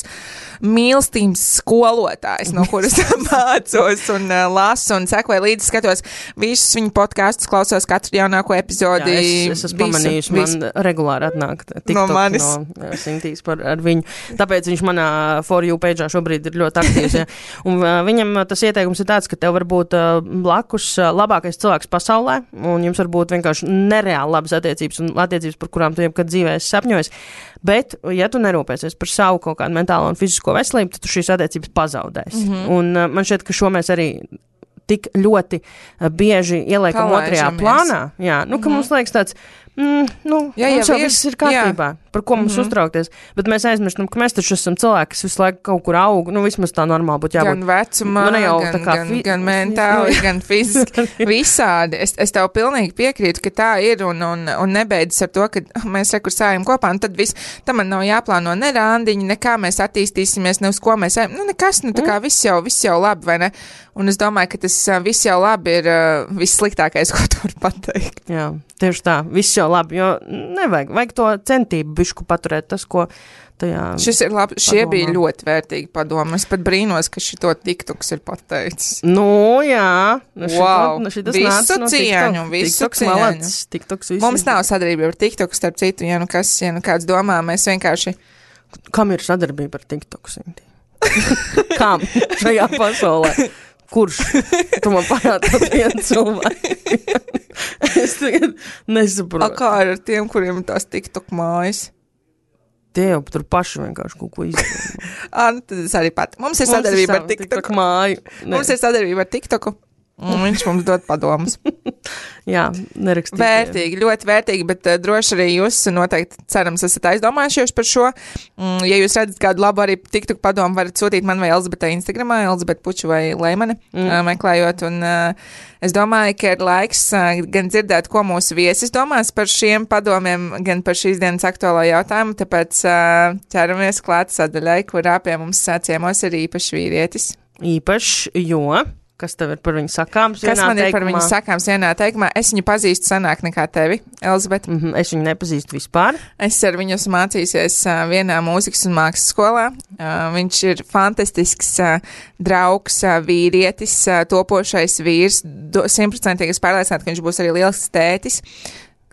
mīlestības skolotājs, no kuras mācos un uh, lasu un sekoju līdzi, skatos visus viņu podkastus, klausos katru jaunāko epizodi. Jā, es, es esmu pamanījuši, man regulāri atnāk TikTok no manis. No Sintīs par ar viņu. Tāpēc viņš manā For You page'ā šobrīd ir ļoti aktīvs. Ja. Un uh, viņam tas ieteikums ir tāds, ka tev var būt uh, blakus uh, labākais cilvēks pasaulē, un jums var būt vienkārši nereāli labas attiecības un attiecības, par kurām tu jebkad dzīvē esi sapņojis. Bet, ja tu nerūpēsies par savu kaut kādu mentālo un fizisko veselību, tad tu šīs attiecības pazaudēsi. Mm-hmm. Un uh, man šķiet, ka šo mēs arī tik ļoti uh, bieži ieliekam otrajā plānā. Jā, nu, ka mm-hmm. mums liekas tāds, mm, nu, jā, mums jau viss ir kārtībā, jā. Par ko mums mm-hmm. uztraukties. Bet mēs aizmirstam, ka mēs taču esam cilvēki, kas visu laiku kaut kur aug, nu, vismaz tā normāli būtu jābūt. Gan vecumā, nu, jau, gan, kā, gan, fi- gan mentāli, gan fiziski, visādi. Es, es tev pilnīgi piekrītu, ka tā ir un, un, un nebeidzas ar to, ka mēs rekursējam kopā, un tad viss, tam man nav jāplāno ne randiņi, nekā mēs attīstīsimies, ne uz ko mēs ejam. Nu, nekas, nu, tā kā viss jau, viss jau labi, vai ne? Un es domāju, ka tas uh, viss jau labi ir uh, vissliktākais, ko tu vari pateikt. Jā, tieši tā, viss jau labi, jo nevajag, vajag to centību bišku paturēt tas, ko tajā... Šis ir labi, šie padomā. Bija ļoti vērtīgi padomi. Es pat brīnos, ka šito TikToks ir pateicis. Nu, jā. Nu, wow. Šito, visu no cieņu, visu TikToks cieņu. Malats, TikToks visu. Mums nav sadarbība ar TikToku, starp citu, ja nu kas, ja nu kāds domā, mēs vienkārši... Kam ir sadarbība ar TikToku, Sinti? Kam šajā pasaulē? Kurš? Tu man parādi vienu cilvēku. Es tagad nesaprotu. A kā ar tiem, kuriem ir tās TikTok mājas? Tie jau tur paši vienkārši kaut ko izdomā. Ā, nu tad es arī pat. Mums ir sadarbība ar TikToku. TikTok māju. Ne. Mums ir sadarbība ar TikToku. Un viņš mums dod padomus. Jā, nerakstīt. Vērtīgi, ļoti vērtīgi, bet uh, droši arī jūs noteikti, cerams, esat aizdomājušies par šo. Mm, ja jūs redzat kādu labu arī TikTok padomu, varat sūtīt man vai Elizabetei Instagramā, Elizabete Puču vai Leimane, mm. uh, meklējot. Un uh, es domāju, ka ir laiks uh, gan dzirdēt, ko mūsu viesis domās par šiem padomiem, gan par šīs dienas aktuālo jautājumu, tāpēc uh, ķeramies klāt sadaļai, kurā pie mums ciemos ir īpašs vīrietis. Īpašs, jo... Kas tev ir par viņu sakāms? Kas man ir par viņu sakāms vienā teikumā? Es viņu pazīstu senāk nekā tevi, Elizabete. Mm-hmm, es viņu nepazīstu vispār. Es ar viņu esmu mācījusies uh, vienā mūzikas un mākslas skolā. Uh, viņš ir fantastisks uh, draugs, uh, vīrietis, uh, topošais vīrs. Simtprocentīgi es pārliecināta, ka viņš būs arī lielisks tētis.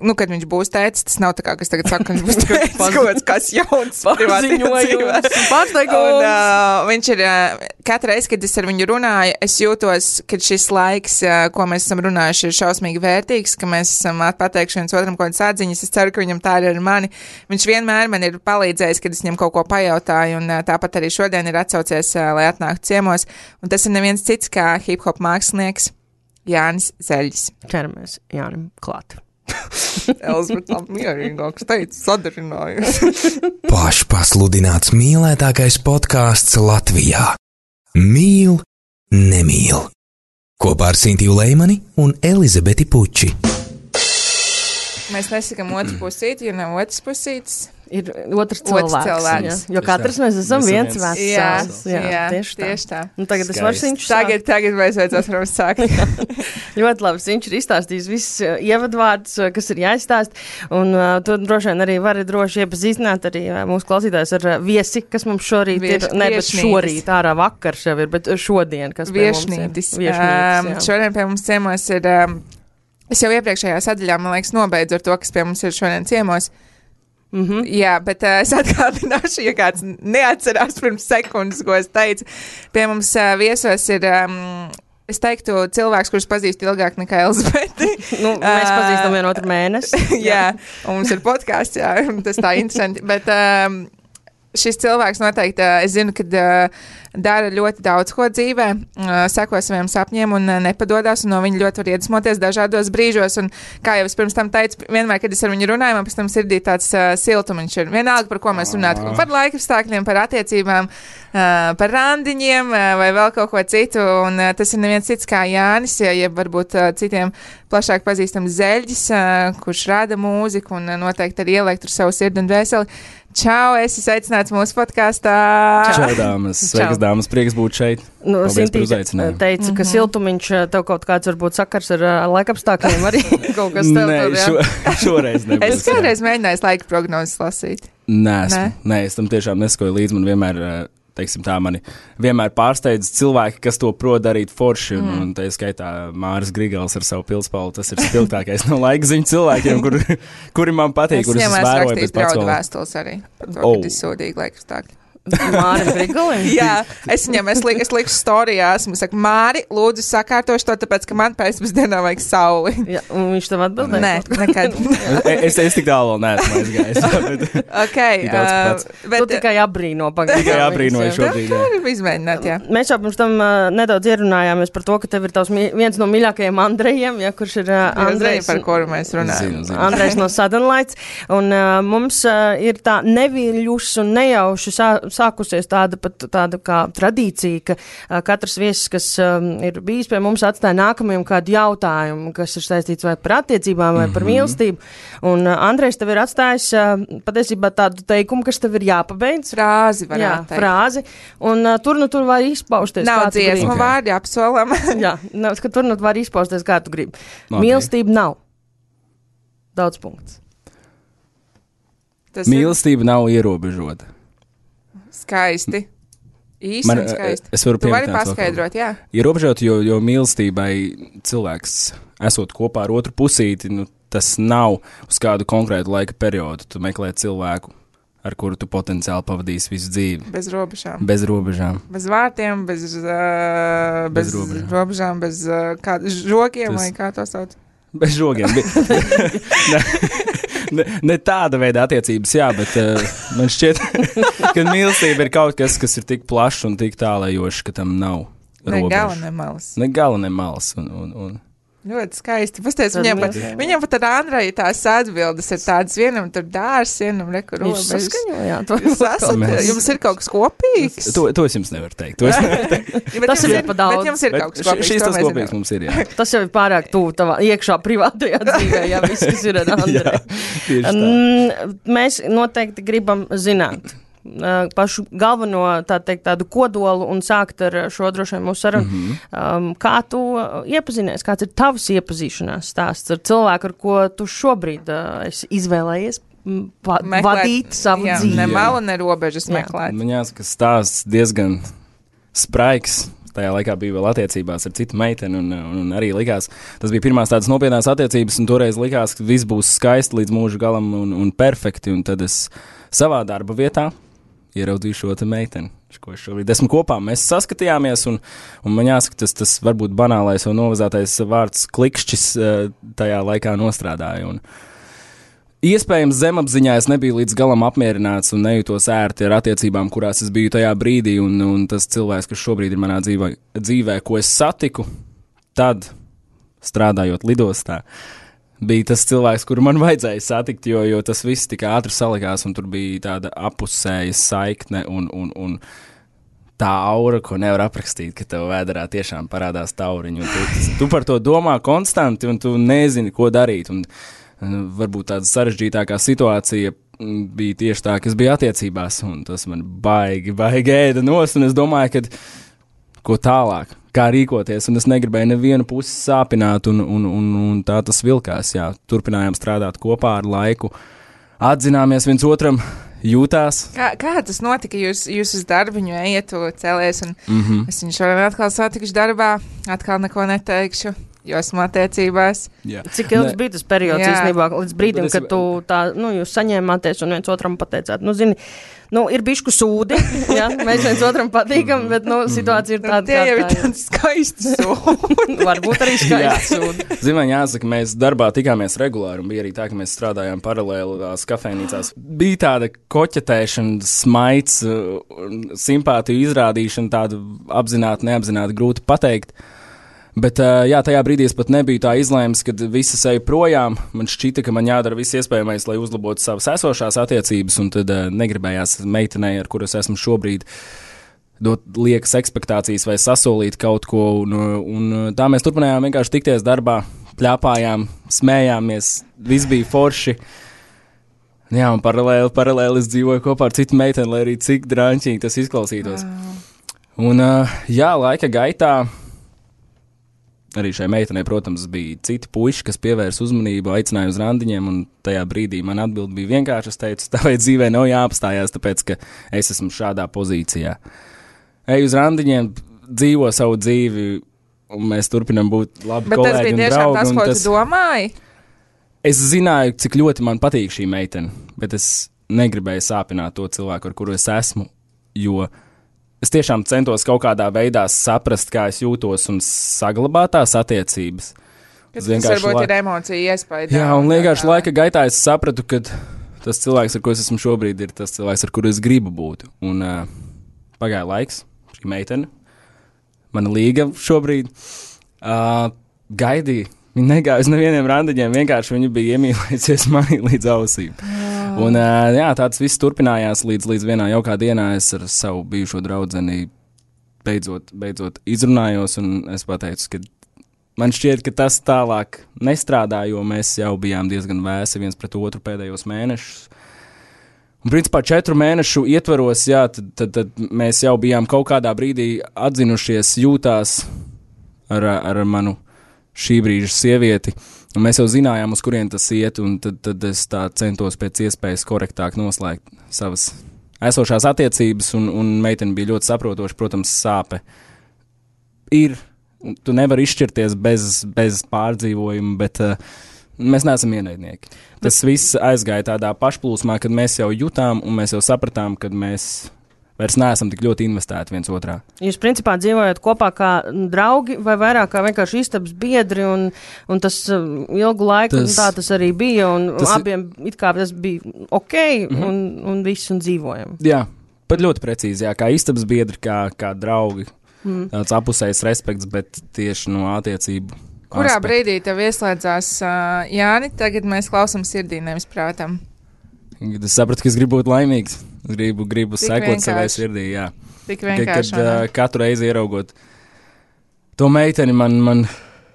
Nu, kad viņš būs tētis, tas nav tā kā, kas tagad saka, ka viņš būs tētis, kaut kas, kas jauns paziņojums. Pārsteigums. Un uh, viņš ir, uh, katru reizi, kad es ar viņu runāju, es jūtos, ka šis laiks, uh, ko mēs esam runājuši, ir šausmīgi vērtīgs, ka mēs esam pateikuši viens otram kaut kādas atziņas. Es ceru, ka viņam tā ir ar mani. Viņš vienmēr man ir palīdzējis, kad es viņam kaut ko pajautāju, un uh, tāpat arī šodien ir atsaucies, uh, lai atnāktu ciemos. Un tas ir neviens cits kā hip-hop mākslinieks Jānis Zeļģis. Ķeramies Jānim klāt. Elizabete tā mierīgāks teica, sadarinājusi. Pašpasludināts mīlētākais podkāsts Latvijā. Mīl, nemīl. Kopā ar Sintiju Leimani un Elizabeti Puči. Mēs nesakam otru pusīti, jo nav otras pusītes. ir otrs cilvēks. Otrs cilvēks. Jā, jo katrs mēs esam Mēs viens esam vesels. Jā, Jā, jā, tieši tā. tieši tā. Nu, tagad es Skaisti. varu Sinču Tagad, tagad mēs vajadzēs varam sākt. Ļoti labi, viņš ir izstāstījis visus uh, ievadvārdus, uh, kas ir jāizstāst, un uh, tu droši vien arī vari droši iepazīstināt arī uh, mūsu klausītājs ar uh, viesi, kas mums šorīt Vieš, ir, ne, bet viešņītis. šorīt, ārā vakars jau ir, bet šodien, kas pie mums ir. Viešņītis. Viešņītis, Um, jā. šodien pie mums ciemos ir, um, es jau iepriekšējā sadaļā, man liekas, nobeidzu ar to, kas pie mums ir šodien ciemos. Mhm. Jā, bet uh, es atgādināšu, ja kāds neatcerās pirms sekundes, ko es teicu. Pie mums uh, viesos ir, um, es teiktu, cilvēks, kurš pazīst ilgāk nekā Elizabeti. Nu, mēs Ā, pazīstam vienu otru mēnesi. jā, un mums ir podkāsts, jā, un tas tā interesanti. Bet um, šis cilvēks noteikti, uh, es zinu, ka uh, dara ļoti daudz ko dzīvē, uh, seko saviem sapņiem un uh, nepadodas, un no viņa ļoti var iedvesmoties dažādos brīžos. Un, kā jau es pirms tam teicu, vienmēr, kad es ar viņu runāju, man pēc tam sirdī tāds uh, siltumiņš ir. Vienalga, par ko mēs runātu, par laikapstākļiem, par attiecībām, uh, par randiņiem uh, vai vēl kaut ko citu. Un uh, tas ir neviens cits kā Jānis, ja, ja varbūt uh, citiem plašāk pazīstams Zeļģis, uh, kurš rada mūziku un uh, noteikti arī ieliek tur savu sirdi un dvēseli. Čau, esi sveicināts mūsu podkāstā. Čau, dāmas. Sveikas, dāmas. Prieks būt šeit. Nu, Paldies par Sintīte uzaicinājumu. teica, ka siltumiņš uh, tev kaut kāds varbūt sakars ar uh, laikapstākļiem arī kaut kas tev Nē, tur, jā. šo, šoreiz nebūs. Es kādreiz mēģināju laika prognozes lasīt. Nē, esmu. Nē? Nē, es tam tiešām neskoju līdzi. Man vienmēr, teiksim tā, mani vienmēr pārsteidz cilvēki, kas to prot darīt forši. Un, mm. un tā skaitā Māris Grigals ar savu pilspālu. Tas ir spilgtākais no laika ziņu cilvēkiem, kur, kuri man patīk, Es kurus es viņam esmu vēroju rakstījis pēc pats draudu vēl. vēstules arī par to, Oh. kad ir sūdīgi laikapstākļi. Mārim Grigalim? Jā, es viņam, es, liku, es liku storijā, esmu saku, Māri, lūdzu sakārtošu to, tāpēc, ka man pēcpusdienā vajag sauli. Jā, un viņš tev atbildēja? Nē, nekad. es, es tik tālu vēl neesmu aizgājis. jā, bet Ok, Tik daudz uh, pats. Tu bet tikai abrīno pagaidām. Tikai abrīnoju viņus, jā. šobrīd. tā jā. ir izmēģināt, jā. Mēs jau pirms tam uh, nedaudz ierunājāmies par to, ka tev ir tavs mi- viens no mīļākajiem Andrejiem, ja, kurš ir uh, Jūs Andrejs. zināt, par kuru mēs runājam. Zinu, zinu. Andrejs no Southern Lights. Un uh, mums uh, ir tā neviļus un nejauši sā, sākusies tāda pat tāda kā tradīcija, ka uh, katrs viesis, kas um, ir bijis pie mums, atstāja nākamajam kādu jautājumu, kas ir saistīts vai par attiecībām, vai par mīlestību. Un uh, Andrejs tev ir atstājis uh, patiesībā tādu teikumu, kas tev ir jāpabeidz. Frāzi Jā, varētu teikt. frāzi. Un uh, tur nu tur var izpausties. Nav kā tu dziesmu gribi. Ok. vārdi, apsolam. Jā, nav, ka tur nu var izpausties, kā tu gribi. Ok. Mīlestība nav. Daudz punkts. Tas ir Mīlestība nav ierobežota. skaisti. Īsti Man, un skaisti. es varu Tu vari pieminēt vēl paskaidrot, jā. Ierobežot, jo, jo mīlestībai cilvēks, esot kopā ar otru pusīti, nu, tas nav uz kādu konkrētu laika periodu. Tu meklē cilvēku, ar kuru tu potenciāli pavadīsi visu dzīvi. Bez robežām. Bez robežām. Bez vārtiem, bez, uh, bez, Bez bez robežām. robežām, bez uh, kā, žogiem, Tas- vai kā to sauc. Bez žogiem. ne, ne, ne tāda veida attiecības, jā, bet uh, man šķiet, ka mīlestība ir kaut kas, kas ir tik plašs un tik tālējošs, ka tam nav Ne robežu. gala, ne malas. Ne gala, ne malas. Un, un, un. Ļoti skaisti. Pastāstiet, Tad viņam, mēs- pat, viņam pat ar Andreju tās atbildes ir tādas, vienam tur dārs, vienam rekur Viņš robežas. saskaņojāt. Jūs esat, Mēs- jums ir kaut kas kopīgs? To, to es jums nevaru teikt. To es nevaru teikt. Ja, bet Tas jums ir pa daudz. Bet jums ir Bet kaut kas ši- kopīgs. šīs to tas mēs kopīgs zinām. mums ir, jā. Tas jau ir pārāk tuvu tavā iekšā privātajā dzīvē, ja viss, kas ir ar jā Andreju. tieši tā. Mm, Mēs noteikti gribam zināt uh, pašu galveno tā teikt, tādu kodolu un sākt ar šo droši vien mūsu sarunu. Mhm. Um, kā tu uh, iepazinies, kāds ir tavs iepazīšanās stāsts ar cilvēku, ar ko tu šobrīd uh, esi izvēlējies mm, va Meklēt- vadīt savu jā, dzīvi? Ne malu, ne robežas Jā. meklēt. Man jāsaka, stāsts diezgan spraigs. Tajā laikā bija vēl attiecībās ar citu meiteni, un, un, un arī likās, tas bija pirmās tādas nopietnās attiecības, un toreiz likās, ka viss būs skaisti līdz mūža galam un, un perfekti, un tad es savā darba vietā ieraudzīju šo te meiteni, ko es šobrīd esmu kopā. Mēs saskatījāmies, un, un man jāsaka, tas, tas varbūt banālais un novazātais vārds klikšķis eh, tajā laikā nostrādāja, un iespējams, zemapziņā es nebiju līdz galam apmierināts un nejūtos ērti ar attiecībām, kurās es biju tajā brīdī, un, un tas cilvēks, kas šobrīd ir manā dzīvē, dzīvē, ko es satiku, tad, strādājot lidostā, bija tas cilvēks, kuru man vajadzēja satikt, jo, jo tas viss tik ātri salikās, un tur bija tāda apusēja saikne un, un, un tā aura, ko nevar aprakstīt, ka tev vēderā tiešām parādās tauriņi, un tu, tu par to domā konstanti, un tu nezini, ko darīt, un varbūt tāda sarežģītākā situācija bija tieši tā, ka es biju attiecībās, un tas man baigi, baigi ēda nost, un es domāju, ka ko tālāk, kā rīkoties, un es negribēju nevienu pusi sāpināt, un, un, un, un tā tas vilkās, jā. Turpinājām strādāt kopā ar laiku, atzināmies viens otram, jūtās. Kā, kā tas notika? Jūs, jūs uz darbiņu ejat, cēlies, un mm-hmm. es viņu šodien atkal satikuši darbā, atkal neko neteikšu. Jo esmu attiecībās. Jā. Cik ilgs ne. bija tas periods īstenībā, līdz brīdim, kad tu tā, nu, jūs saņēmāties un viens otram pateicāt, nu, zini, nu, ir bišku sūdi, jā, mēs viens otram patīkam, bet, nu, situācija ir tāda, kā tā ir. Tie jau ir tādi skaisti sūdi. Varbūt arī skaisti sūdi. Zin, man jāsaka, mēs darbā tikāmies regulāri, un bija arī tā, ka mēs strādājām paralēli tās kafejnīcās. Bija tāda koķetēšana, smaids, simpātiju izrādīšana, tāda apzināti, neapzināti grūti pateikt. Bet, jā, tajā brīdī es pat nebiju tā izlēmis, kad visas eju projām. Man šķita, ka man jādara viss iespējamais, lai uzlabotu savas esošās attiecības, un tad negribējās meitenei, ar kuru es esmu šobrīd, dot liekas ekspektācijas vai sasolīt kaut ko. Un, un tā mēs turpinājām vienkārši tikties darbā, pļāpājām, smējāmies, viss bija forši. Jā, un paralēli, paralēli es dzīvoju kopā ar citu meiteni, lai arī cik drāņķīgi tas izklausītos. Un, jā, laika gaitā. Arī šai meitenei, protams, bija citi puiši, kas pievērs uzmanību, aicināja uz randiņiem, un tajā brīdī man atbild bija vienkārši, es teicu, tāpēc dzīvē nav jāapstājās, tāpēc, ka es esmu šādā pozīcijā. Ej uz randiņiem, dzīvo savu dzīvi, un mēs turpinam būt labi Bet kolēģi un draugi. Bet tas bija tiešām tas, ko tas... tu domāji? Es zināju, cik ļoti man patīk šī meitene, bet es negribēju sāpināt to cilvēku, ar kuru es esmu, jo... Es tiešām centos kaut kādā veidā saprast, kā es jūtos un saglabāt tās attiecības. Tas varbūt la... ir emocija iespēja. Jā, un vienkārši laika gaitā es sapratu, ka tas cilvēks, ar ko es esmu šobrīd, ir tas cilvēks, ar kuru es gribu būt. Un uh, pagāja laiks, šī meitene, mana līga šobrīd, uh, gaidīja. Viņa negāja uz nevieniem randiņiem, vienkārši viņa bija iemīlējusies manī līdz ausīm. Oh. Un jā, tāds viss turpinājās līdz, līdz vienā jaukā dienā. Es ar savu bijušo draudzeni beidzot, beidzot izrunājos, un es pateicu, ka man šķiet, ka tas tālāk nestrādā, jo mēs jau bijām diezgan vēsi viens pret otru pēdējos mēnešus. Un principā četru mēnešu ietvaros, jā, tad, tad, tad mēs jau bijām kaut kādā brīdī atzinušies, jūtās ar, ar manu šī brīža sievieti, un mēs jau zinājām, uz kurien tas iet, un tad, tad es tā centos pēc iespējas korektāk noslēgt savas esošās attiecības, un, un meitene bija ļoti saprotoša, protams, sāpe ir, tu nevari izšķirties bez, bez pārdzīvojuma, bet uh, mēs neesam ienaidnieki. Tas viss aizgāja tādā pašplūsmā, kad mēs jau jutām, un mēs jau sapratām, kad mēs vairs neesam tik ļoti investēti viens otrā. Jūs principā dzīvojat kopā kā draugi vai vairāk kā vienkārši istabas biedri, un, un tas ilgu laiku tas, tā tas arī bija, un tas abiem it kā tas bija ok, mm-hmm. un, un viss un dzīvojam. Jā, pat ļoti precīzi, jā, kā istabas biedri, kā, kā draugi. Mm. Tāds apusējs respekts, bet tieši no attiecību. Kurā aspektu. Brīdī tev ieslēdzās uh, Jāni, tagad mēs klausam sirdī, nevis prātam? Es sapratu, ka es gribu būt laimīgs. Es gribu, gribu sekot savai sirdī, jā. Tik vienkārši. Kad uh, katru reizi ieraugot to meiteni, man, man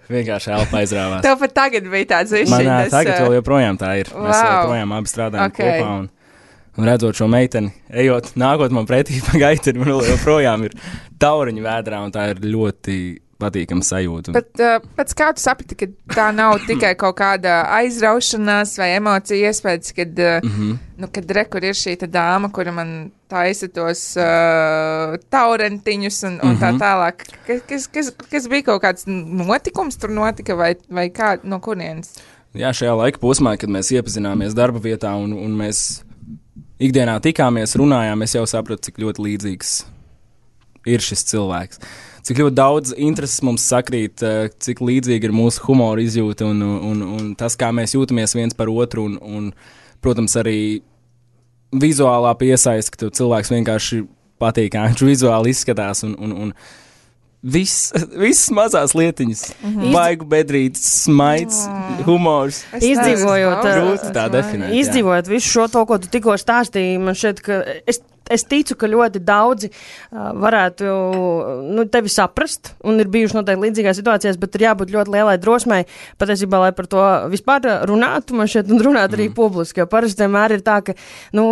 vienkārši elpa aizrāvās. Tev pat tagad bija tāds višķiņas. Man uh, tagad vēl joprojām tā ir. Wow. Mēs joprojām abi strādājam okay. kopā, un, un redzot šo meiteni, ejot, nākot man pretī pa gaiteni, man joprojām ir tauriņu vēdrā, un tā ir ļoti patīkama sajūta. Bet uh, pēc kā tu saprati, ka tā nav tikai kaut kāda aizraušanās vai emocija iespējas, kad, uh, mm-hmm. nu, kad re, kur ir šī tā dāma, kura man taisa tos uh, taurentiņus un, un mm-hmm. tā tālāk. Kas, kas, kas, kas bija kaut kāds notikums tur notika vai, vai kā, no kurienes? Jā, šajā laika posmā, kad mēs iepazināmies darba vietā un, un mēs ikdienā tikāmies, runājām, es jau sapratu, cik ļoti līdzīgs ir šis cilvēks. Cik ļoti daudz intereses mums sakrīt, cik līdzīgi ir mūsu humora izjūta un, un, un tas, kā mēs jūtamies viens par otru, un, un protams, arī vizuālā piesaista, ka cilvēks vienkārši patīk, kā viņš vizuāli izskatās, un, un, un viss, visas mazās lietiņas, mm-hmm. vaigu bedrītes, smaids, mm. humors. Izdzīvojot, grūti tā definēt. Izdzīvojot jā. Visu šo to, ko tu tikko stāstīji, man šķiet, ka es es ticu, ka ļoti daudzi uh, varētu nu, tevi saprast, un ir bijuši noteikti līdzīgās situācijās, bet ir jābūt ļoti lielai drosmei, patiesībā, lai par to vispār runātu, man šeit, un runāt arī mm. publiski, jo parasti vienmēr ir tā, ka, nu,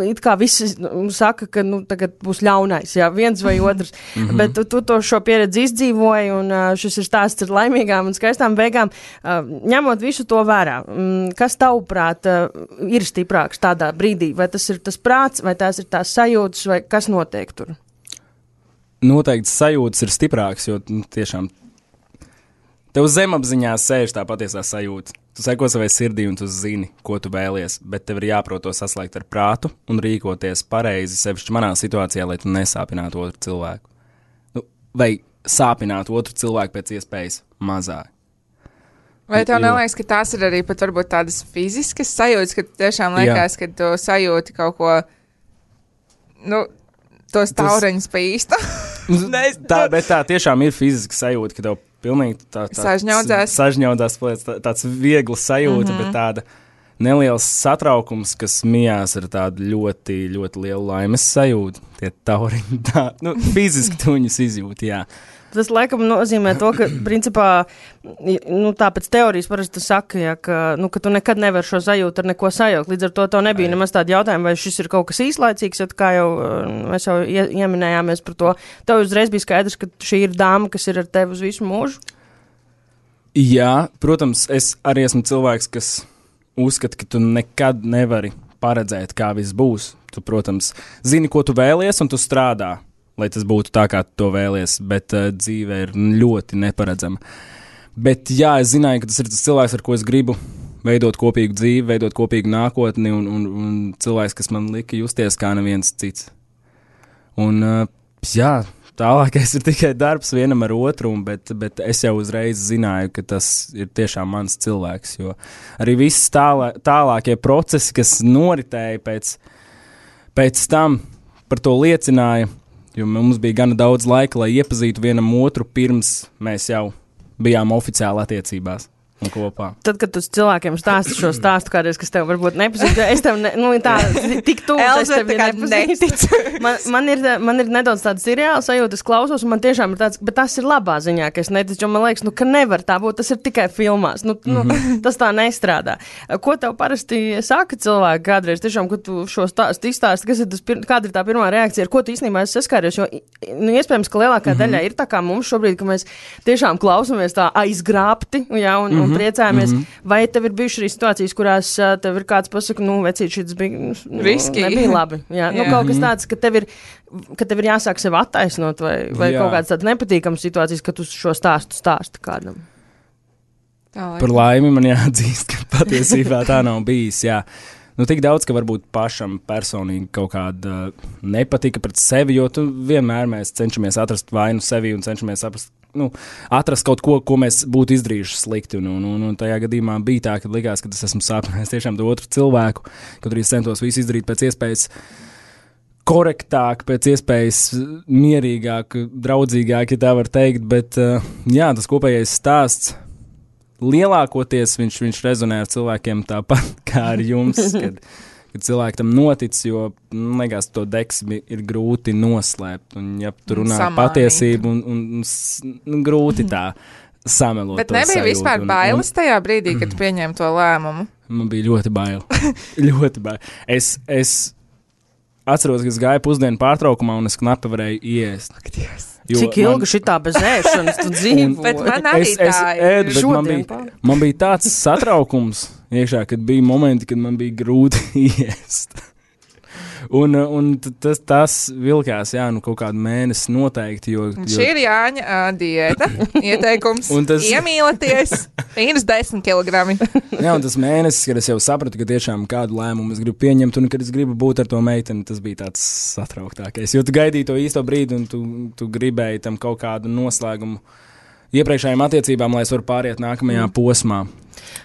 it kā visi saka, ka, nu, tagad būs ļaunais, jā, viens vai otrs, mm-hmm. bet tu, tu to šo pieredzi izdzīvoji, un uh, šis ir stāsts ar laimīgām un skaistām beigām, uh, ņemot visu to vērā. Mm, kas tavuprāt uh, ir stiprāks tādā brīdī? Vai tas ir tas prāts, vai tās ir tās sajūtas, vai kas notiek tur? Noteikti sajūtas ir stiprāks, jo nu, tiešām tev zemapziņā sēž tā patiesā sajūta. Tu seko savai sirdī un tu zini, ko tu vēlies, bet tev ir jāprot to saslēgt ar prātu un rīkoties pareizi, sevišķi manā situācijā, lai tu nesāpinātu otru cilvēku. Nu, vai sāpinātu otru cilvēku pēc iespējas mazāk. Vai tev neliekas, ka tās ir arī pat varbūt tādas fiziskas sajūtas, ka tiešām liekas, ka tu sajūti kaut ko, nu, tos taureņus pa īstu? tā, bet tā tiešām ir fiziska sajūta, ka tev pilnīgi tā, tā, sažņaudzās. Sažņaudzās, tā, tāds viegls sajūta, mm-hmm. bet tāda neliels satraukums, kas mijās ar tādu ļoti, ļoti lielu laimes sajūtu. Tie tauriņi, tā, nu, fiziski tu viņus izjūti, jā. Tas, laikam, nozīmē to, ka, principā, nu, tā pēc teorijas parasti saka, ja, ka, nu, ka tu nekad nevar šo sajūtu ar neko sajaukt. Līdz ar to tev nebija Ai. nemaz tādi jautājumi, vai šis ir kaut kas īslaicīgs, jo kā jau mēs jau ie, ieminējāmies par to. Tev uzreiz bija skaidrs, ka šī ir dāma, kas ir ar tevi uz visu mūžu? Jā, protams, es arī esmu cilvēks, kas uzskata, ka tu nekad nevari paredzēt, kā viss būs. Tu, protams, zini, ko tu vēlies, un tu strādā, lai tas būtu tā, kā tu to vēlies, bet uh, dzīve ir ļoti neparedzama. Bet jā, es zināju, ka tas ir tas cilvēks, ar ko es gribu veidot kopīgu dzīvi, veidot kopīgu nākotni, un, un, un cilvēks, kas man lika justies kā neviens cits. Un uh, jā, tālākais ir tikai darbs vienam ar otru, bet, bet es jau uzreiz zināju, ka tas ir tiešām mans cilvēks, jo arī viss tālā, tālākie procesi, kas noritēja pēc, pēc tam, par to liecināja, jo mums bija gana daudz laika, lai iepazītu vienam otru, pirms mēs jau bijām oficiāli attiecībās un kopā. Tad, kad tu cilvēkiem stāsti šo stāstu kādreiz, kas tev varbūt nepazīst, es tev, ne, nu, tā, tik tūl, es tev nepazīstu. Man, man, ir, man ir nedaudz tāda seriāla sajūta, es klausos, un man tiešām ir tāds, bet tas ir labā ziņā, ka es neticu, jo man liekas, nu, ka nevar tā būt, tas ir tikai filmās, nu, mm-hmm. nu, tas tā nestrādā. Ko tev parasti saka cilvēki kādreiz, tiešām, kad tu šo stāstu izstāsti, kas ir tas, kāda ir tā pirmā reakcija, ar ko tu īstenībā esi saskāries, jo, nu, iespējams, ka lielākā mm-hmm. daļā ir tā kā mums šobrīd, ka mēs tiešām klausamies tā aizgrābti, jā, un, mm-hmm. un priecājamies, mm-hmm. vai tev ir bijuši arī situācijas, kurās uh, tev ir kāds pasaka, nu, vecīt, šis bija, nu, riski. Nebija labi. Jā, nu, Jā. kaut kas tāds, ka tev ir, ka tev ir jāsāk sev attaisnot, vai, vai kaut kāds tāds nepatīkams situācijas, ka tu šo stāstu stāsti kādam. Tā, Par laimi man jāatzīst, ka patiesībā tā nav bijis, jā. Nu, tik daudz, ka varbūt pašam personīgi kaut kāda uh, nepatika pret sevi, jo tu vienmēr mēs cenšamies atrast vainu sevi un cenšamies aprast, nu, atrast kaut ko, ko mēs būtu izdarījuši slikti. Un, un, un, un tajā gadījumā bija tā, ka likās, ka es esmu sāpinājis tiešām to otru cilvēku, kaut arī centos visu izdarīt pēc iespējas korektāk, pēc iespējas mierīgāk, draudzīgāk, ja tā var teikt, bet uh, jā, tas kopējais stāsts lielākoties viņš, viņš rezonē ar cilvēkiem tāpat kā ar jums, kad, kad cilvēki tam notic, jo, nu, liekas, to deksmi ir grūti noslēpt, un ja tu runā Samānīt. patiesību, un, un, un, un grūti tā samelot. Bet nebija sajūtu, vispār un, bailes tajā brīdī, kad tu pieņēmi to lēmumu? Man bija ļoti bail. ļoti bail. Es, es atceros, ka es gāju pusdienu pārtraukumā, un es knapi varēju iest. Ak, Dievs. Jo Cik ilgi man... šitā bez ēšanas tu dzīvo? Bet man arī es, tā es ir. ēdu, bet man bija, man bija tāds satraukums iekšā, kad bija momenti, kad man bija grūti iest. Un, un tas, tas vilkās, jā, nu kaut kādu mēnesi noteikti, jo... jo... Šī ir Jāņa uh, diēta, ieteikums, tas... iemīlaties, mīnus desmit kilogrami. Jā, un tas mēnesis, kad es jau sapratu, ka tiešām kādu lēmumu es gribu pieņemt, un kad es gribu būt ar to meiteni, tas bija tāds satrauktākais, jo tu gaidīji to īsto brīdi, un tu, tu gribēji tam kaut kādu noslēgumu iepriekšējām attiecībām, lai es varu pāriet nākamajā mm. posmā.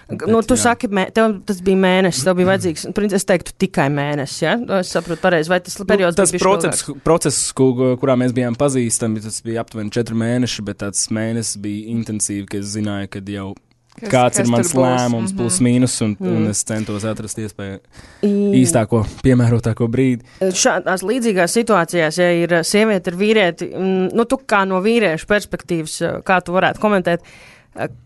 Bet, nu, tu jā. saki, mē, tev tas bija mēnesis, tev bija vajadzīgs, es teiktu, tikai mēnesis, ja? Es saprotu pareizi, vai tas periods nu, tas bija process, process, kurā mēs bijām pazīstami, tas bija aptuveni četri mēneši, bet tāds mēnesis bija intensīvi, ka es zināju, ka jau Kas, kāds kas ir mans tur būs. lēmums, Mhm. plus mīnus, un, Mm. un es centos atrast iespēju I- īstāko, piemērotāko brīdi. Šādās līdzīgās situācijās, ja ir sieviete ar vīrieti, mm, nu, tu kā no vīriešu perspektīvas, kā tu varētu komentēt,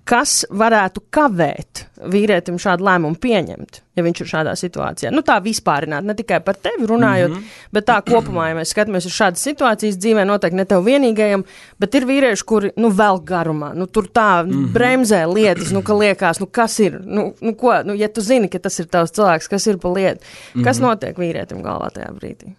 kas varētu kavēt vīrietim šādu lēmumu pieņemt, ja viņš ir šādā situācijā? Nu, tā vispārināt, ne tikai par tevi runājot, mm -hmm. bet tā kopumā, ja mēs skatāmies uz šādas situācijas dzīvē, noteikti ne tev vienīgajam, bet ir vīrieši, kuri, nu, vēl garumā, nu, tur tā mm -hmm. bremzē lietas, nu, ka liekas, nu, kas ir, nu, nu, ko, nu, ja tu zini, ka tas ir tavs cilvēks, kas ir pa lietu, mm -hmm. kas notiek vīrietim galvā tajā brīdī?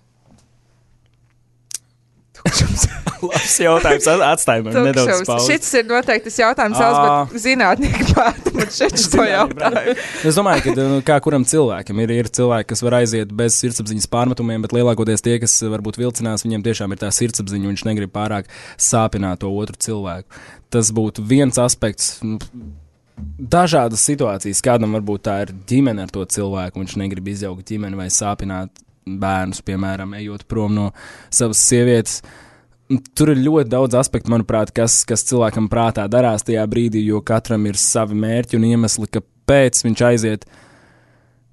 Labs jautājums, atstāj man nedaudz pauzi. Šis ir noteikti tas jautājums, Elzbiet, zinātnieki pārta man šeit šo jautājumu. Es domāju, ka nu, kā kuram cilvēkam ir, ir cilvēki, kas var aiziet bez sirdsapziņas pārmetumiem, bet lielākoties tie, kas varbūt vilcinās, viņiem tiešām ir tā sirdsapziņa, un viņš negrib pārāk sāpināt to otru cilvēku. Tas būtu viens aspekts. Nu, dažādas situācijas, kādam varbūt tā ir ģimene ar to cilvēku, un viņš negrib izjaukt ģimeni vai sāpināt bērnus, piemēram, ejot prom no savas sievietes. Tur ir ļoti daudz aspektu, manuprāt, kas, kas cilvēkam prātā darās tajā brīdī, jo katram ir savi mērķi un iemesli, kāpēc viņš aiziet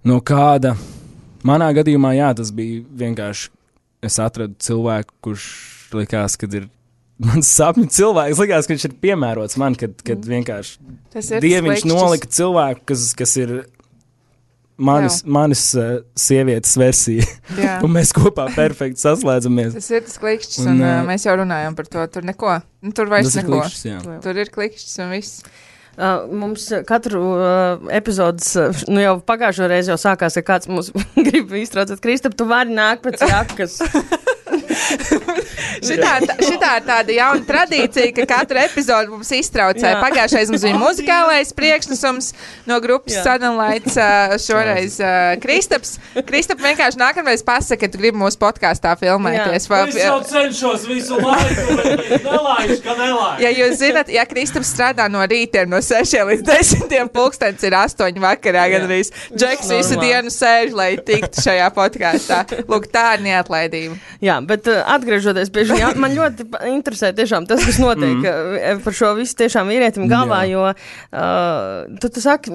no kāda. Manā gadījumā, jā, tas bija vienkārši, es atradu cilvēku, kurš likās, kad ir mans sapņu cilvēks, likās, ka viņš ir piemērots man, kad, kad vienkārši Dieviņš nolika cilvēku, kas, kas ir manis, manis uh, sievietes versija. Un mēs kopā perfekti saslēdzamies. Tas ir tas klikšķis, un, un uh, mēs jau runājam par to. Tur neko, nu, tur vairs neko. Klikšķis, jā. Tur ir klikšķis un viss. Uh, mums katru uh, epizodes, uh, nu jau pagājušo reizi jau sākās, ja kāds mums grib iztraucēt, Kristap, tu vari nākt pēc jakas. šitā, šitā ir tāda jauna tradīcija, ka katru epizodu mums iztraucē. Pagājušais mums bija muzikālais priekšnesums no grupas Suddenlights, šoreiz uh, Kristaps. Kristap vienkārši nākamreiz pasaka, ka tu gribi mūsu podkāstā filmēties. Jā. Es jau cenšos visu laiku, nelaišu, ka nelaišu. Ja jūs zinat, ja Kristaps strādā no rītiem no sešiem līdz desmitiem, pulkstens ir astoņi vakarā, gan arī Džeks visu dienu sēž, lai tiktu šajā podkāstā. Lūk, tā ir neatlaidība. Jā, bet uh, atgriežoties pie šī, man ļoti interesē tiešām tas, kas notiek mm. par šo visu tiešām vīrietim galvā, jā. jo uh, tu, tu saki,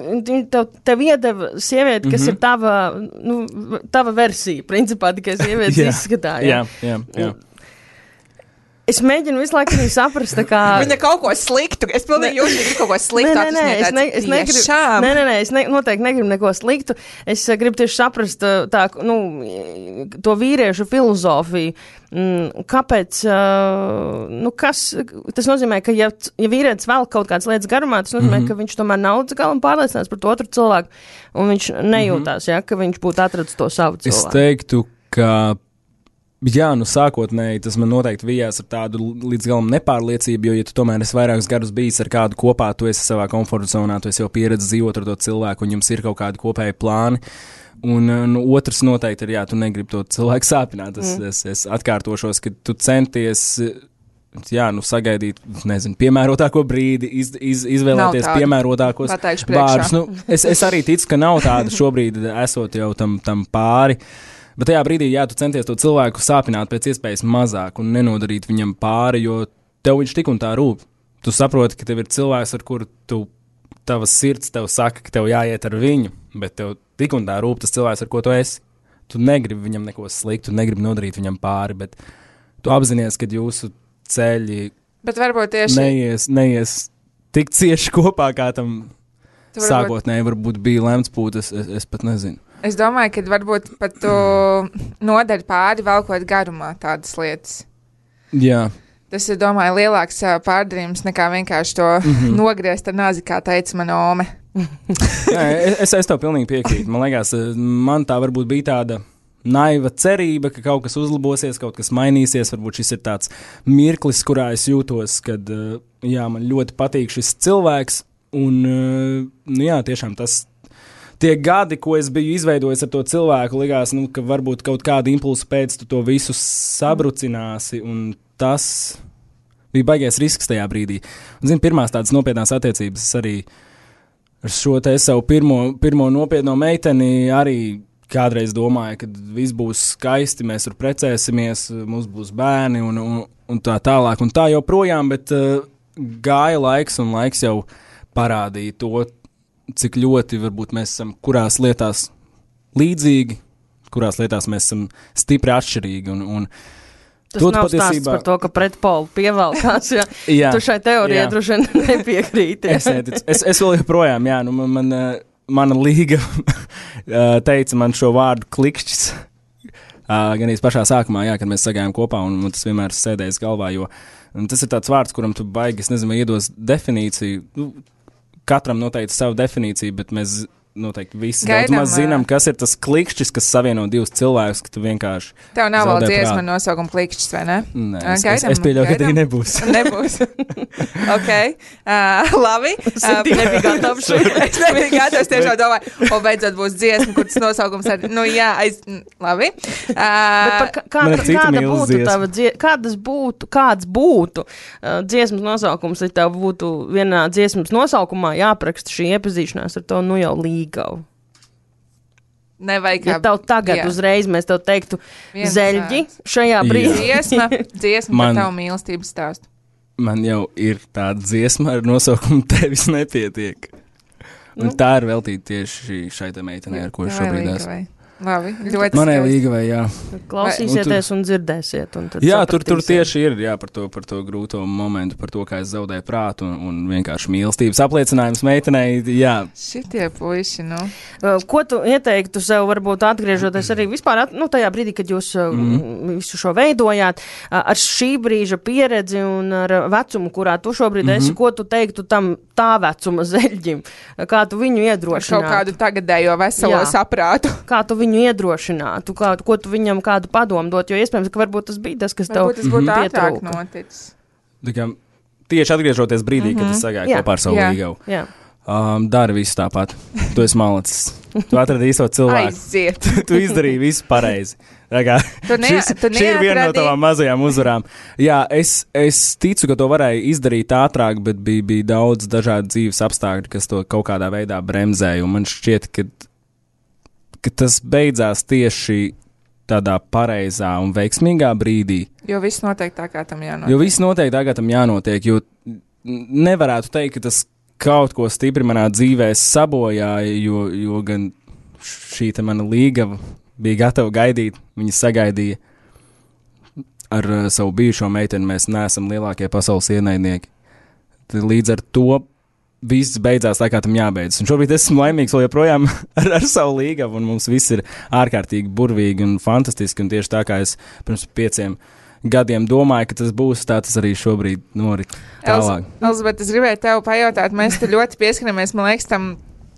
tev, tev iedeva sievieti, kas mm -hmm. ir tava, nu, tava versija, principā tikai sievietes jā. izskatā. Jā, jā, jā. jā. Es mēģinu visu laiku arī saprast, kā... Viņa kaut ko sliktu. Es pilnīgi jūtu, ka viņa kaut ko sliktu. Nē, nē, nē, es, ne, es negribu... Nē, nē, nē, es ne, noteikti negribu neko sliktu. Es uh, gribu tieši saprast tā, nu, to vīriešu filozofiju. Mm, kāpēc, uh, nu, kas... Tas nozīmē, ka ja, ja vīrietis vēl kaut kādas lietas garumā, tas nozīmē, mm -hmm. ka viņš tomēr nav līdz galam pārliecināts par to otru cilvēku, un viņš nejūtās, mm -hmm. ja, ka viņš būtu atradis to savu cilvēku. Es teiktu, ka... Jā, nu sākotnēji tas man noteikti vijās ar tādu līdz galam nepārliecību, jo, ja tu tomēr esi vairākus gadus bijis ar kādu kopā, tu esi savā komforta zonā, tu esi jau pieredzējis dzīvot ar to cilvēku, un jums ir kaut kādi kopēji plāni. Un nu, otrs noteikti ir, jā, tu negribi to cilvēku sāpināt. Es, mm. es, es atkārtošos, ka tu centies, jā, nu sagaidīt, nezinu, piemērotāko brīdi, iz, iz, izvēlēties piemērotākos vārdus. Nu, es, es arī ticu, ka nav tāda šobrīd, esot jau tam, tam pāri. Bet tajā brīdī, jā, tu centies to cilvēku sāpināt pēc iespējas mazāk un nenodarīt viņam pāri, jo tev viņš tik un tā rūp. Tu saproti, ka tev ir cilvēks, ar kuru tu, tavas sirds tev saka, ka tev jāiet ar viņu, bet tev tik un tā rūp tas cilvēks, ar ko tu esi. Tu negribi viņam neko sliktu, tu negribi nodarīt viņam pāri, bet tu apzinies, ka jūsu ceļi bet varbūt tieši neies, neies tik cieši kopā, kā tam varbūt... sākotnēji varbūt bija lemts būt, es, es, es pat nezinu. Es domāju, ka varbūt pat tu nodari pāri velkot garumā tādas lietas. Jā. Tas ir, domāju, lielāks pārdarījums nekā vienkārši to mm -hmm. nogriezt ar nāzi, kā teica mana ome. Jā, es, es tev pilnīgi piekrītu. Man liekas, man tā varbūt bija tāda naiva cerība, ka kaut kas uzlabosies, kaut kas mainīsies. Varbūt šis ir tāds mirklis, kurā es jūtos, kad jā, man ļoti patīk šis cilvēks. Un nu, jā, tiešām tas... Tie gadi, ko es biju izveidojis ar to cilvēku, likās, nu, ka varbūt kaut kādu impulsu pēc tu to visu sabrucināsi, un tas bija baigais risks tajā brīdī. Un, zini, pirmās tādas nopietnās attiecības arī ar šo te savu pirmo, pirmo nopietno meiteni arī kādreiz domāju, ka viss būs skaisti, mēs tur precēsimies, mums būs bērni un, un, un tā tālāk un tā joprojām, bet uh, gāja laiks un laiks jau parādīja to, cik ļoti varbūt mēs esam kurās lietās līdzīgi, kurās lietās mēs esam stipri atšķirīgi. Un, un tas nav patiesībā... stāsts par to, ka pretpolu pievelkās, ja jā, tu šai teorijai droši vien nepiekrīti. es, es, es vēl joprojām, jā, nu man, man, mana līga teica man šo vārdu klikšķis, gan arī pašā sākumā, jā, kad mēs sagājām kopā, un man tas vienmēr sēdējis galvā, jo tas ir tāds vārds, kuram tu baigi, es nezinu, iedos definīciju, nu, katram noteikti savu definīciju, bet mēs noteikti visi Gaidam, daudz maz zinām, kas ir tas klikšķis, kas savieno divus cilvēkus, ka tu vienkārši tev nav vēl dziesma nosaukuma klikšķis, vai ne? Nē, es, gaidam, es, es pieļauju, gaidam. Ka tā nebūs. Nebūs. Ok, uh, labi. Sintī nebija gatavs. Es nebija gatavs, tiešām domāju, o beidzot būs dziesma, kur tas nosaukums arī, nu jā, aiz, labi. Uh, Bet par kā, kāda būtu tava dziesma, kādas būtu, kāds būtu uh, dziesmas nosaukums, ja tev būtu vienā dziesmas nosaukumā jāapraksta šī iepazīšanās ar to, nu jau līga. Gavu. Nevajag kā... Ja tev tagad jā. Uzreiz mēs tev teiktu Viens zeļģi šajā brīdī. Dziesma, dziesma man, par tavu mīlestības stāstu. Man jau ir tāda dziesma ar nosaukumu Tevis nepietiek. Un nu. Tā ir veltīta tieši šai te meitenei, ar ko šobrīd esmu. Labi, ļoti manai līgavai, jā. Klausīsieties un, tur, un dzirdēsiet. Un jā, tur, tur tieši ir, jā, par to, par to grūto momentu, par to, kā es zaudēju prātu un, un vienkārši mīlestības apliecinājums meitenei, jā. Šitie puiši, nu. Ko tu ieteiktu sev, varbūt atgriežoties arī vispār, nu, tajā brīdī, kad jūs mm. visu šo veidojāt, ar šī brīža pieredzi un ar vecumu, kurā tu šobrīd mm-hmm. esi, ko tu teiktu tam tā vecuma zeļģim? Kā tu viņu iedrošinātu? Kaut kādu tagadējo veselo jā. Saprātu. Kā tu viņu iedrošinātu, kā, ko tu viņam kādu padomu dot, jo iespējams, ka varbūt tas bija tas, kas tev varbūt tas būtu mm-hmm. ātrāk noticis. Kā, tieši atgriežoties brīdī, mm-hmm. kad es sagāju kopā ar savu jā. Līgavu. Jā. Um, dari visu tāpat. Tu esi malacis. Tu atradi īsto cilvēku. Aiziet. Tu izdarīji visu pareizi. Kā, tu ne, šis, tu šī ir viena no tavām mazajām uzvarām. Jā, es, es ticu, ka to varēja izdarīt ātrāk, bet bija, bija daudz dažādu dzīves apstākļu, kas to kaut kādā veidā bremzēja. Un man šķiet, ka ka tas beidzās tieši tādā pareizā un veiksmīgā brīdī. Jo viss notiek tā, kā tam jānotiek. Jo viss notiek tā, kā tam jānotiek, jo nevarētu teikt, ka tas kaut ko stipri manā dzīvē sabojāja, jo, jo gan šī te mana līgava bija gatava gaidīt, viņa sagaidīja. Ar uh, savu bijušo meiteni mēs neesam lielākie pasaules ienaidnieki. Tad līdz ar to viss beidzās tā, kā tam jābeidzas. Un šobrīd esmu laimīgs vēl joprojām ar, ar savu līgavu, un mums viss ir ārkārtīgi burvīgi un fantastiski, un tieši tā, kā es pirms pieciem gadiem domāju, ka tas būs, tā tas arī šobrīd norit tālāk. Elizabete, es gribēju tev pajautāt, mēs te ļoti pieskaramies, man liekas, tam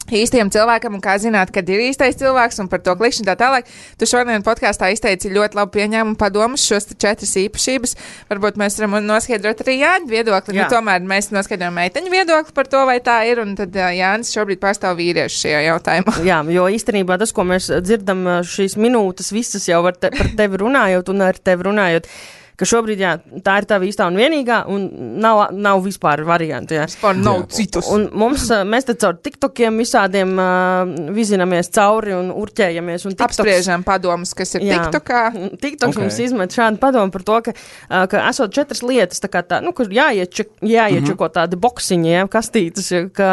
īstajam cilvēkam, un kā zināt, kad ir īstais cilvēks, un par to klikšķinu tā tālāk. Tu šodien podkāstā izteici ļoti labu pieņēmumu padomus šos četras īpašības. Varbūt mēs varam noskaidrot arī Jāņa viedokli. Jā. Nu, tomēr mēs noskaidrojam meiteņu viedokli par to, vai tā ir, un tad Jānis šobrīd pārstāv vīriešu šajā jautājumā. Jā, jo īstenībā tas, ko mēs dzirdam šīs minūtes, visas jau te, par tevi runājot un ar tevi runājot, ka šobrīd, jā, tā ir tava īstā un vienīgā, un nav, nav vispār variantu, jā. Vispār nav citus. Un mums, mēs te caur tiktokiem visādiem uh, vizinamies cauri un urķējamies. Un TikToks, apspriežam padomus, kas ir jā, tiktokā. TikToks okay. mums izmet šādu padomu par to, ka, uh, ka esot četras lietas, tā kā tā, nu, kur jāiečeko, jāiečeko mm-hmm. tādi boksiņi, jā, kastītes, ka,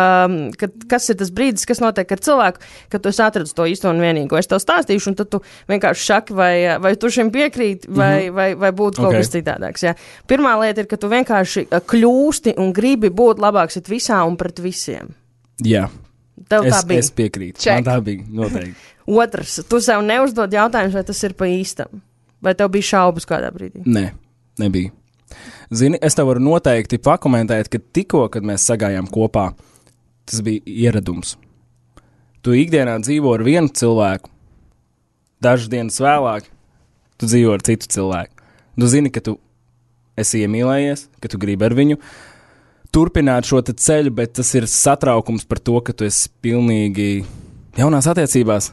ka, kas ir tas brīdis, kas notiek ar cilvēku, kad tu esi atradis to īsto un vienīgo. Es tev stāstīšu, un tad tu vienkārši šaki, vai, vai tu šim piekrīt, vai, mm-hmm. vai, vai būtu kaut kas citādāks. Jā. Pirmā lieta ir, ka tu vienkārši kļūsti un gribi būt labāks it visā un pret visiem. Jā. Tev es, tā bija. Es piekrītu. Man tā bija, noteikti. Otrs, tu sev neuzdod jautājumus, vai tas ir pa īstam. Vai tev bija šaubas kādā brīdī? Nē, nebija. Zini, es tev varu noteikti pakomentēt, ka tikko, kad mēs sagājām kopā, tas bija ieradums. Tu ikdienā dzīvo ar vienu cilvēku, dažas dienas vēlāk, tu dzīvo ar citu cilvēku. Tu zini, ka tu esi iemīlējies, ka tu gribi ar viņu turpināt šo ceļu, bet tas ir satraukums par to, ka tu esi pilnīgi jaunās attiecībās.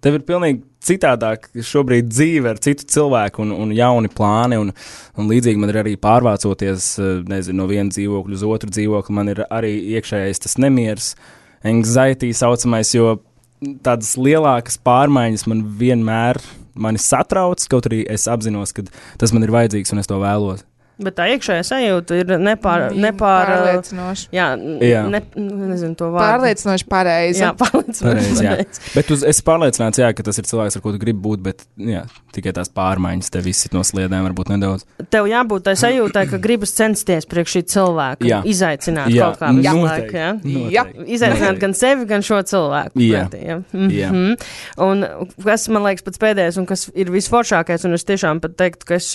Tev ir pilnīgi citādāk šobrīd dzīve ar citu cilvēku un, un jauni plāni, un, un līdzīgi man ir arī pārvācoties, nezinu, no viena dzīvokļa uz otru dzīvokli, man ir arī iekšējais tas nemieris, anxiety saucamais, jo tādas lielākas pārmaiņas man vienmēr mani satrauc, kaut arī es apzinos, ka tas man ir vajadzīgs un es to vēlos. Bet tā iekšējā sajūta ir nepār, nepār pārliecinoši. Jā, Jā. Ne, nezinu to vārdu. Pārliecinoši pareizi. Jā, pārliecinoši Pareizi, jā. pareizi. Bet tu esi pārliecināts, jā, ka tas ir cilvēks, ar ko tu gribi būt, bet jā, tikai tās pārmaiņas tev izsit no sliedēm varbūt nedaudz. Tev jābūt tai sajūtai, ka gribas censties priekš šī cilvēka, Jā. izaicināt Jā, kaut kā visu noteikti. laiku. Ja? Jā. Izaicināt Noteikti. gan sevi, gan šo cilvēku. Jā. Pretī, ja? Mhm. Jā. Un kas man liekas pats pēdējais un kas ir visforšākais, un es tiešām pat teiktu, ka es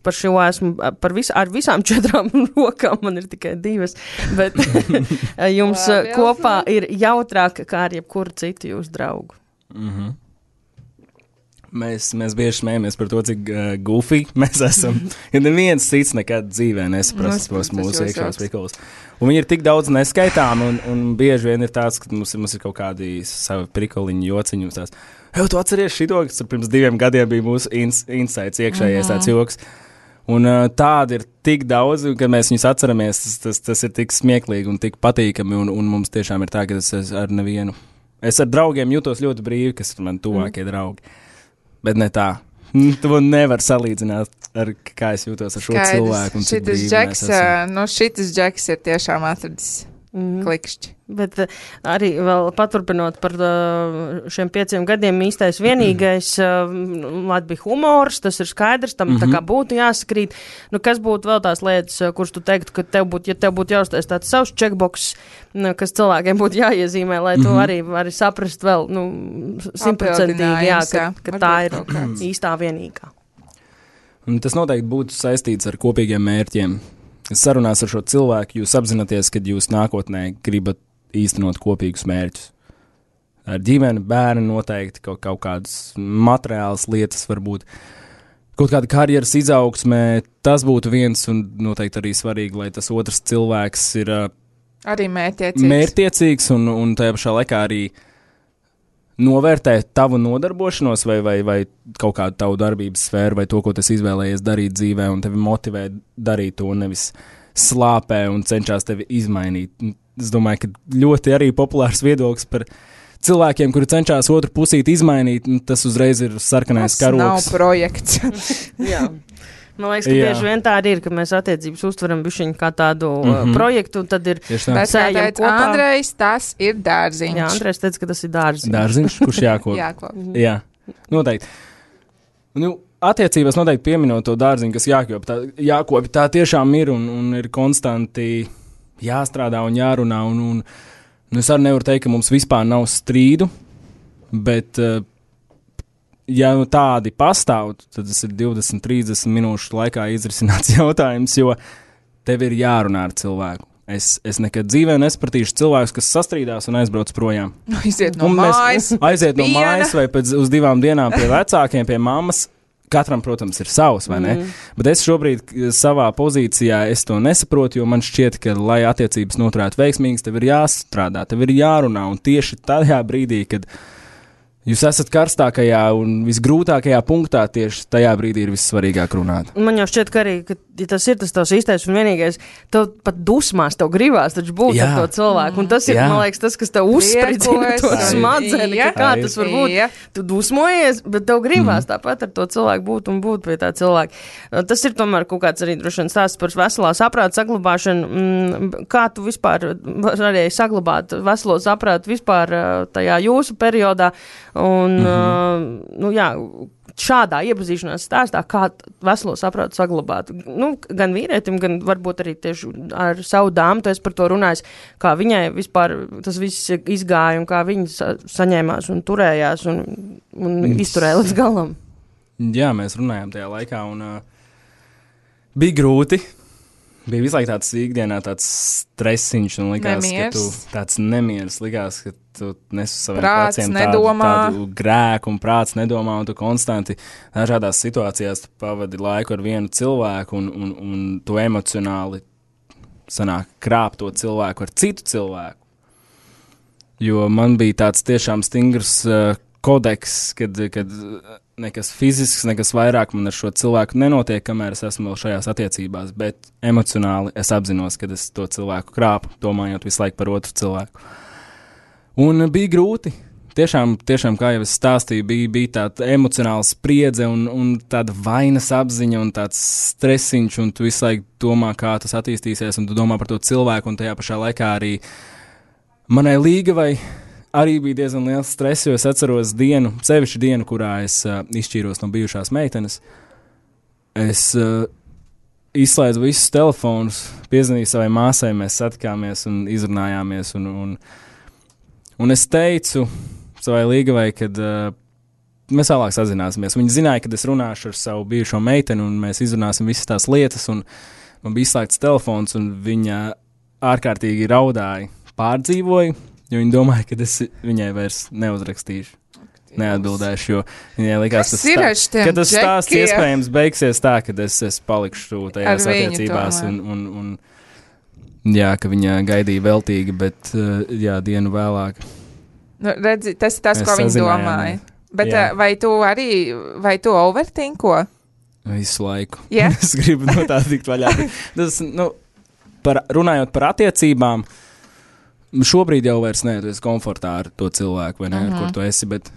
par šo esmu par vis, ar visām četrām rokām, man ir tikai divas, bet jums Labi, kopā ir jautrāk kā ar jebkuru citu jūsu draugu. Mhm. Mēs, mēs bieži smējamies par to, cik uh, goofy mēs esam. Ja neviens cits nekad dzīvē nesaprast tos Nosprast mūsu jūs iekšējos jauks. pikolus. Un viņi ir tik daudz neskaitāmi, un, un bieži vien ir tāds, ka mums, ir- mums ir kaut kādi savi prikoliņi, jociņi. Mums tās, jau tu atceries šito, kas pirms diviem gadiem bija mūsu ins, insights iekšējais tāds joks. Un uh, tādi ir tik daudz, kad mēs viņus atceramies, tas, tas, tas ir tik smieklīgi un tik patīkami, un, un mums tiešām ir tā, ka es, es ar nevienu. Es ar draugiem jūtos ļoti brīvi, kas ir man tuvākie mm. draugi. Bet ne tā. Tu nevar salīdzināt, ar, kā es jūtos ar šo Skaidrs. cilvēku. un cik Šitas brīvi džeks, mēs esam. ā, nu šitas džeks ir tiešām atradis Mhm. klikšķi. Bet uh, arī vēl paturpinot par uh, šiem pieciem gadiem īstais vienīgais uh, Latvijas humors, tas ir skaidrs, tam mm -hmm. tā kā būtu jāsakrīt. Nu, kas būtu vēl tās lietas, uh, kuras tu teiktu, ka tev būtu, ja tev būtu jāuztais tāds savs checkbox, nu, kas cilvēkiem būtu jāiezīmē, lai mm -hmm. tu arī vari saprast vēl, nu, simtprocentīgi, jā, ka, jā. ka tā Varbūt ir kaut kāds. īstā vienīgā. Un tas noteikti būtu saistīts ar kopīgiem mērķiem. Sarunās ar šo cilvēku jūs apzināties, ka jūs nākotnē gribat īstenot kopīgus mērķus. Ar ģimeni, bērni noteikti kaut, kaut kādas materiālas lietas, varbūt kaut kāda karjeras izaugsmē. Tas būtu viens un noteikti arī svarīgi, lai tas otrs cilvēks ir uh, Arī mērķiecīgs. mērķtiecīgs un, un tajā pašā laikā arī novērtē tavu nodarbošanos vai, vai, vai kaut kādu tavu darbības sfēru vai to, ko tas izvēlējies darīt dzīvē un tevi motivē darīt to, nevis slāpē un cenšas tevi izmainīt. Es domāju, ka ļoti arī populārs viedoklis par cilvēkiem, kuri cenšas otru pusīti izmainīt, tas uzreiz ir sarkanais Tas nav karoks. projekts. Jā. Man liekas, ka Jā. bieži vien tā arī ir, ka mēs attiecības uztveram bišķiņu kā tādu mm Mhm. -hmm. projektu, un tad ir Tieši tā. Bet, kā Sējam teica kopā. Andrejs, tas ir dārziņš. Jā, Andrejs teica, ka tas ir dārziņš. Dārziņš, kurš jākop. Jākop. Jā, noteikti. Nu, attiecībās noteikti pieminot to dārziņu, kas jākop. Tā, jākop, tā tiešām ir un, un ir konstanti jāstrādā un jārunā. Un, un, nu, es arī nevaru teikt, ka mums vispār nav strīdu, bet, uh, ja nu tādi pastāv, tad tas ir divdesmit trīsdesmit minūšu laikā izrisināts jautājums, jo tev ir jārunā ar cilvēku. Es, es nekad dzīvē nesapratīšu cilvēkus, kas sastrīdās un aizbrauc projām. Aiziet no Un mēs mājas. aiziet no piena. mājas vai pēc uz divām dienām pie vecākiem, pie mammas. Katram, protams, ir savs, vai ne? Mm. Bet es šobrīd k- savā pozīcijā es to nesaprotu, jo man šķiet, ka, lai attiecības noturētu veiksmīgas, tev ir jāstrādā, tev ir jārunā. Un tieši tajā brīdī, kad jūs esat karstākajā un visgrūtākajā punktā, tieši tajā brīdī ir vissvarīgāk runāt. Man jau šķiet, ka arī, ka, ja tas ir tas tavs īstais un vienīgais, tev pat dusmās tev gribās taču būt Jā. ar to cilvēku. Un tas ir, Jā. man liekas, tas, kas tev uzspridzina to Priecos. smadzeni, ka Jā. kā tas var būt. Jā. Tu dusmojies, bet tev gribās mm. tāpat ar to cilvēku būt un būt pie tā cilvēka. Uh, Tas ir tomēr kaut kāds arī droši vien stāsts par veselā saprāta saglabāšanu. Mm, Kā tu vispār varēji saglabāt veselo saprātu vispār uh, tajā jūsu periodā? Un, mm -hmm. uh, nu jā, šādā iepazīšanās stāstā, kā t- veselo saprātu saglabāt. Nu, gan vīrietim, gan varbūt arī tieši ar savu dāmu, tu esi par to runājis, kā viņai vispār tas viss izgāja un kā viņa sa saņēmās un turējās un, un Mm. izturēja līdz galam. Jā, mēs runājām tajā laikā, un uh, bija grūti. Bija visu laiku tāds ikdienā, tāds stresiņš, un likās, Nemiers. ka tu tāds nemieris, likās, ka tu nes uz saviem Prāts pleciem nedomā. tādu, tādu grēku, un prāts nedomā, un tu konstanti dažādās situācijās tu pavadi laiku ar vienu cilvēku, un, un, un tu emocionāli sanāk krāp to cilvēku ar citu cilvēku. Jo man bija tāds tiešām stingrs uh, kodeks, kad, kad nekas fizisks, nekas vairāk man ar šo cilvēku nenotiek, kamēr es esmu vēl šajās attiecībās, bet emocionāli es apzinos, ka es to cilvēku krāpu, domājot visu laiku par otru cilvēku. Un bija grūti, tiešām, tiešām, kā jau es stāstīju, bija, bija tāda emocionāla spriedze un, un tāda vainas apziņa un tāds stresiņš, un tu visu laiku domā, kā tas attīstīsies, un tu domā par to cilvēku, un tajā pašā laikā arī manai Līgavai arī bija diezgan liels stress, jo es atceros dienu, sevišķi dienu, kurā es uh, izšķīros no bijušās meitenes. Es uh, izslēdzu visus telefonus, piezvanīju savai māsai, mēs satikāmies un izrunājāmies, un, un, un es teicu savai Līgavai, kad uh, mēs vēlāk sazināsimies. Viņa zināja, kad es runāšu ar savu bijušo meiteni, un mēs izrunāsim visas tās lietas, un man bija izslēgts telefons, un viņa ārkārtīgi raudāja, pārdzīvoja, jo viņa domāja, ka es viņai vairs neuzrakstīšu, neatbildēšu, jo viņai likās, tas stā, ka tas stāsts iespējams beigsies tā, kad es, es palikšu tajās attiecībās, un, un, un jā, ka viņa gaidīja veltīgi, bet uh, jā, dienu vēlāk. Nu, redzi, tas ir tas, ko viņi domāja. Bet jā. vai tu arī, vai tu overtinko? Visu laiku. Yeah. Es gribu no tā tikt vaļā. Tas, nu, par, runājot par attiecībām, šobrīd jau vairs ne, tu esi komfortā ar to cilvēku, vai ne, uh-huh. ar kur tu esi, bet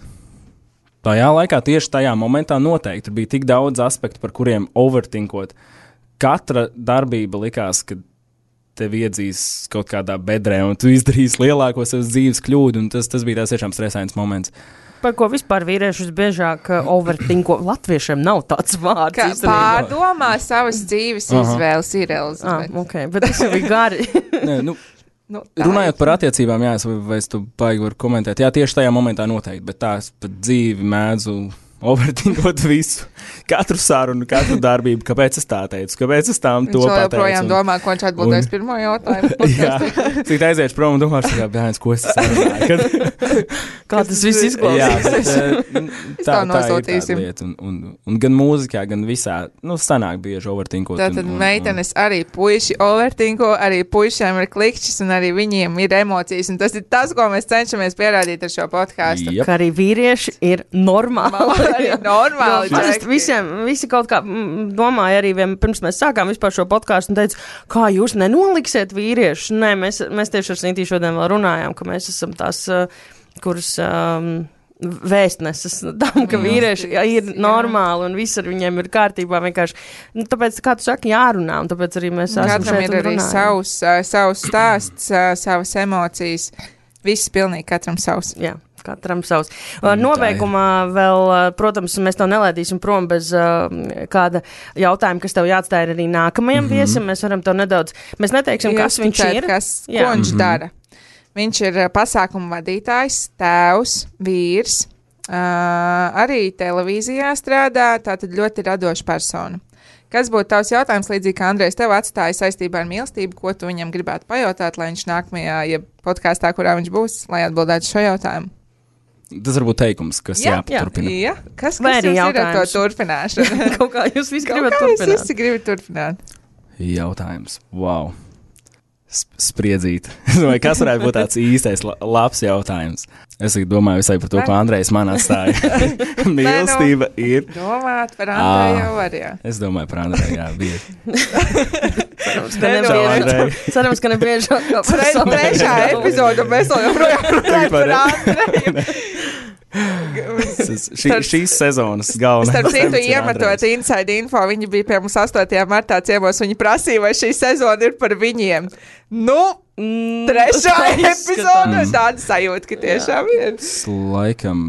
tajā laikā, tieši tajā momentā noteikti bija tik daudz aspektu, par kuriem overtinkot. Katra darbība likās, ka tevi iedzīs kaut kādā bedrē, un tu izdarīsi lielāko savas dzīves kļūdu, un tas, tas bija tās tiešām stresains moments. Par ko vispār vīriešus biežāk overtinko? Latviešiem nav tāds vārds. Kā pārdomā savas dzīves uh-huh. izvēles ir Elizabete. Ah, ok, bet tas jau bija gari. Nē, nu, nu, runājot par attiecībām, jā, es vai, vai es tu baigi varu komentēt. Jā, tieši tajā momentā noteikti, bet tā es pat dzīvi mēdzu overtinkot visu, katru sarunu, katru darbību, kāpēc es tā teicu, kāpēc es tām to pateicu. Viņš joprojām domā, ko viņš atbildēs un... pirmo jautājumu. Jā, cik aiziešu prom un domāšu, kā bērns, ko es sarunāju. Kad... kā tas viss izklausīs. Jā, bet, tā, tā ir tāda lieta. Un, un, un gan mūzikā, gan visā, nu, sanāk bieži overtinkot. Tātad un, un, meitenes un... arī puiši overtinko, arī puišiem ir klikšķis un arī viņiem ir emocijas. Un tas ir tas, ko mēs cenšamies pierādīt ar šo podkāstu. Yep. Ka arī vīrieši ir normāli. Arī normāli. Jo, visiem, visi kaut kā domāja arī, vien, pirms mēs sākām vispār šo podkāstu un teica, kā jūs nenoliksiet vīriešus. Nē, mēs, mēs tieši ar Sintīju šodien vēl runājām, ka mēs esam tās, kuras um, vēstneses tam, ka vīrieši ir normāli un viss ar viņiem ir kārtībā vienkārši. Nu, tāpēc, kā tu saki, jārunā, un tāpēc arī mēs esam Katram šeit ir arī savs, savs stāsts, savas emocijas. Viss pilnīgi katram savs. Jā. Katram savs. Nobeigumā vēl, protams, mēs tev nelaidīsim prom bez uh, kāda jautājuma, kas tev jāatstāja arī nākamajam mm-hmm. viesim. Mēs varam tev nedaudz, mēs neteiksim, kas viņš tēt, ir. Kas, ko viņš mm-hmm. dara. Viņš ir pasākumu vadītājs, tēvs, vīrs, uh, arī televīzijā strādā, tātad ļoti radoša persona. Kas būtu tavs jautājums, līdzīgi kā Andrejs tev atstāja saistībā ar mīlestību, ko tu viņam gribētu pajautāt, lai viņš nākamajā, ja podkāstā, kurā viņš būs, lai atbildētu šo jautājumu? Tas varbūt teikums, kas jā, jāpaturpina. Jā, jā. Kas, kas jums ir ar to turpināšanu? Kaut kā jūs visi gribat turpināt. Kaut kā jūs visi gribat turpināt. Jautājums. Wow. Spriedzīt. Vai kas varētu būt tāds īstais labs jautājums? Es domāju visai par to, ko Andrejs man atstāja. Mīlestība ir. Domāt par Andreju jau var, jā. Es domāju par Andreju, jā, bieži. Cerams, ka nebiežāk. Trešā epizoda mēs vēl joprojām runājam par Andreju. Šī, šīs sezonas galvenais. Starp citu, iemetot inside info, viņi bija pie mums astotajā martā ciemos, viņi prasīja, vai šī sezona ir par viņiem. Nu, mm, trešā epizode, tāda sajūta, ka tiešām ir. Laikam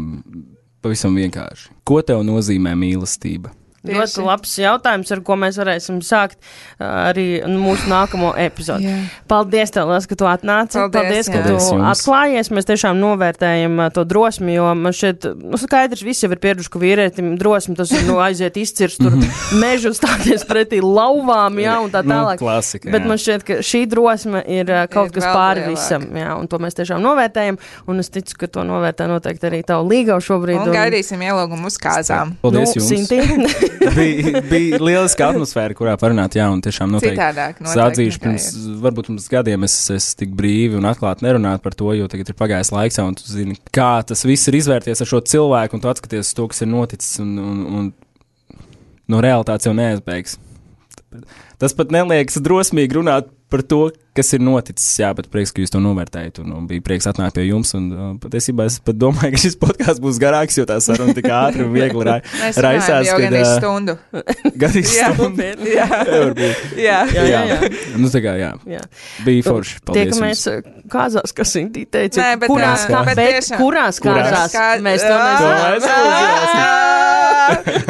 pavisam vienkārši. Ko tev nozīmē mīlestība? Ļoti labs jautājums, ar ko mēs varēsim sākt uh, arī mūsu nākamo epizodi. Yeah. Paldies tev, Lielas, ka tu atnāci. Paldies, Paldies ka Paldies tu jums. atklājies. Mēs tiešām novērtējam uh, to drosmi, jo man šeit, nu, skaidrs, visi jau ir pieraduši, ka vīrietim drosmi tas ir, nu, aiziet izcirst tur mežu stāties pretī lauvām, jā, un tā tālāk. Nu, klasika, bet man šķiet, ka šī drosme ir uh, kaut ir kas pāri lielāk. Visam, jā, un to mēs tiešām novērtējam, un es ticu, ka to novērtē noteikti arī tavu līgavu šobrīd. Un, un gaidīsim ielūgumu uz kāzām. Paldies nu, jums. bija, bija lieliska atmosfēra, kurā parunāt, jā, un tiešām noteikti. Citādāk, noteikti. Sādzīšu pirms, varbūt pirms gadiem es, es tik brīvi un atklāti nerunātu par to, jo tagad ir pagājis laiks, un tu zini, kā tas viss ir izvērties ar šo cilvēku, un tu atskaties to, kas ir noticis, un, un, un no realitātes jau neaizbēgs. Tas pat neliekas drosmīgi runāt par to, kas ir noticis. Jā, bet prieks, ka jūs to novērtējat, un, un bija prieks atnākt pie jums. Un, uh, patiesībā es pat domāju, ka šis podkāsts būs garāks, jo tā saruna tik ātri un viegli ra Mēs raisās. Mēs runājam jau gan uh, stundu. Gan stundu. Jā, jā. jā. Jā, jā, jā. Nu, tā kā, jā. jā. Bija forši. Paldies Tiekamies kāzās, kas Intī teica. Nē, bet, kurās, uh, kā, bet bet tiešām. kurās kāzās? Kā... Mēs to nezinām.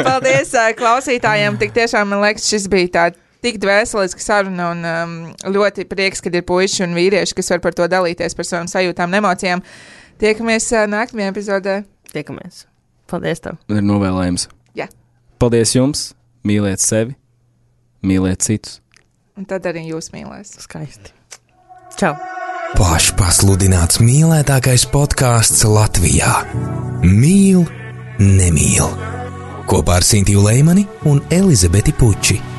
Paldies uh, klausītājiem. Tik tiešām, man liekas, šis bija tāds tik dvēseliska saruna un um, ļoti prieks, kad ir puiši un vīrieši, kas var par to dalīties, par savām sajūtām un emocijām. Tiekamies uh, nākamajā epizodē. Tiekamies. Paldies tev. Ir novēlējums. Jā. Paldies jums. Mīliet sevi. Mīliet citus. Un tad arī jūs mīlēs. Skaisti. Čau. Pašpasludināts mīlētākais podkāsts Latvijā. Mīl, nemīl. Kopā ar Sintiju Leimani un Elizabeti Puči.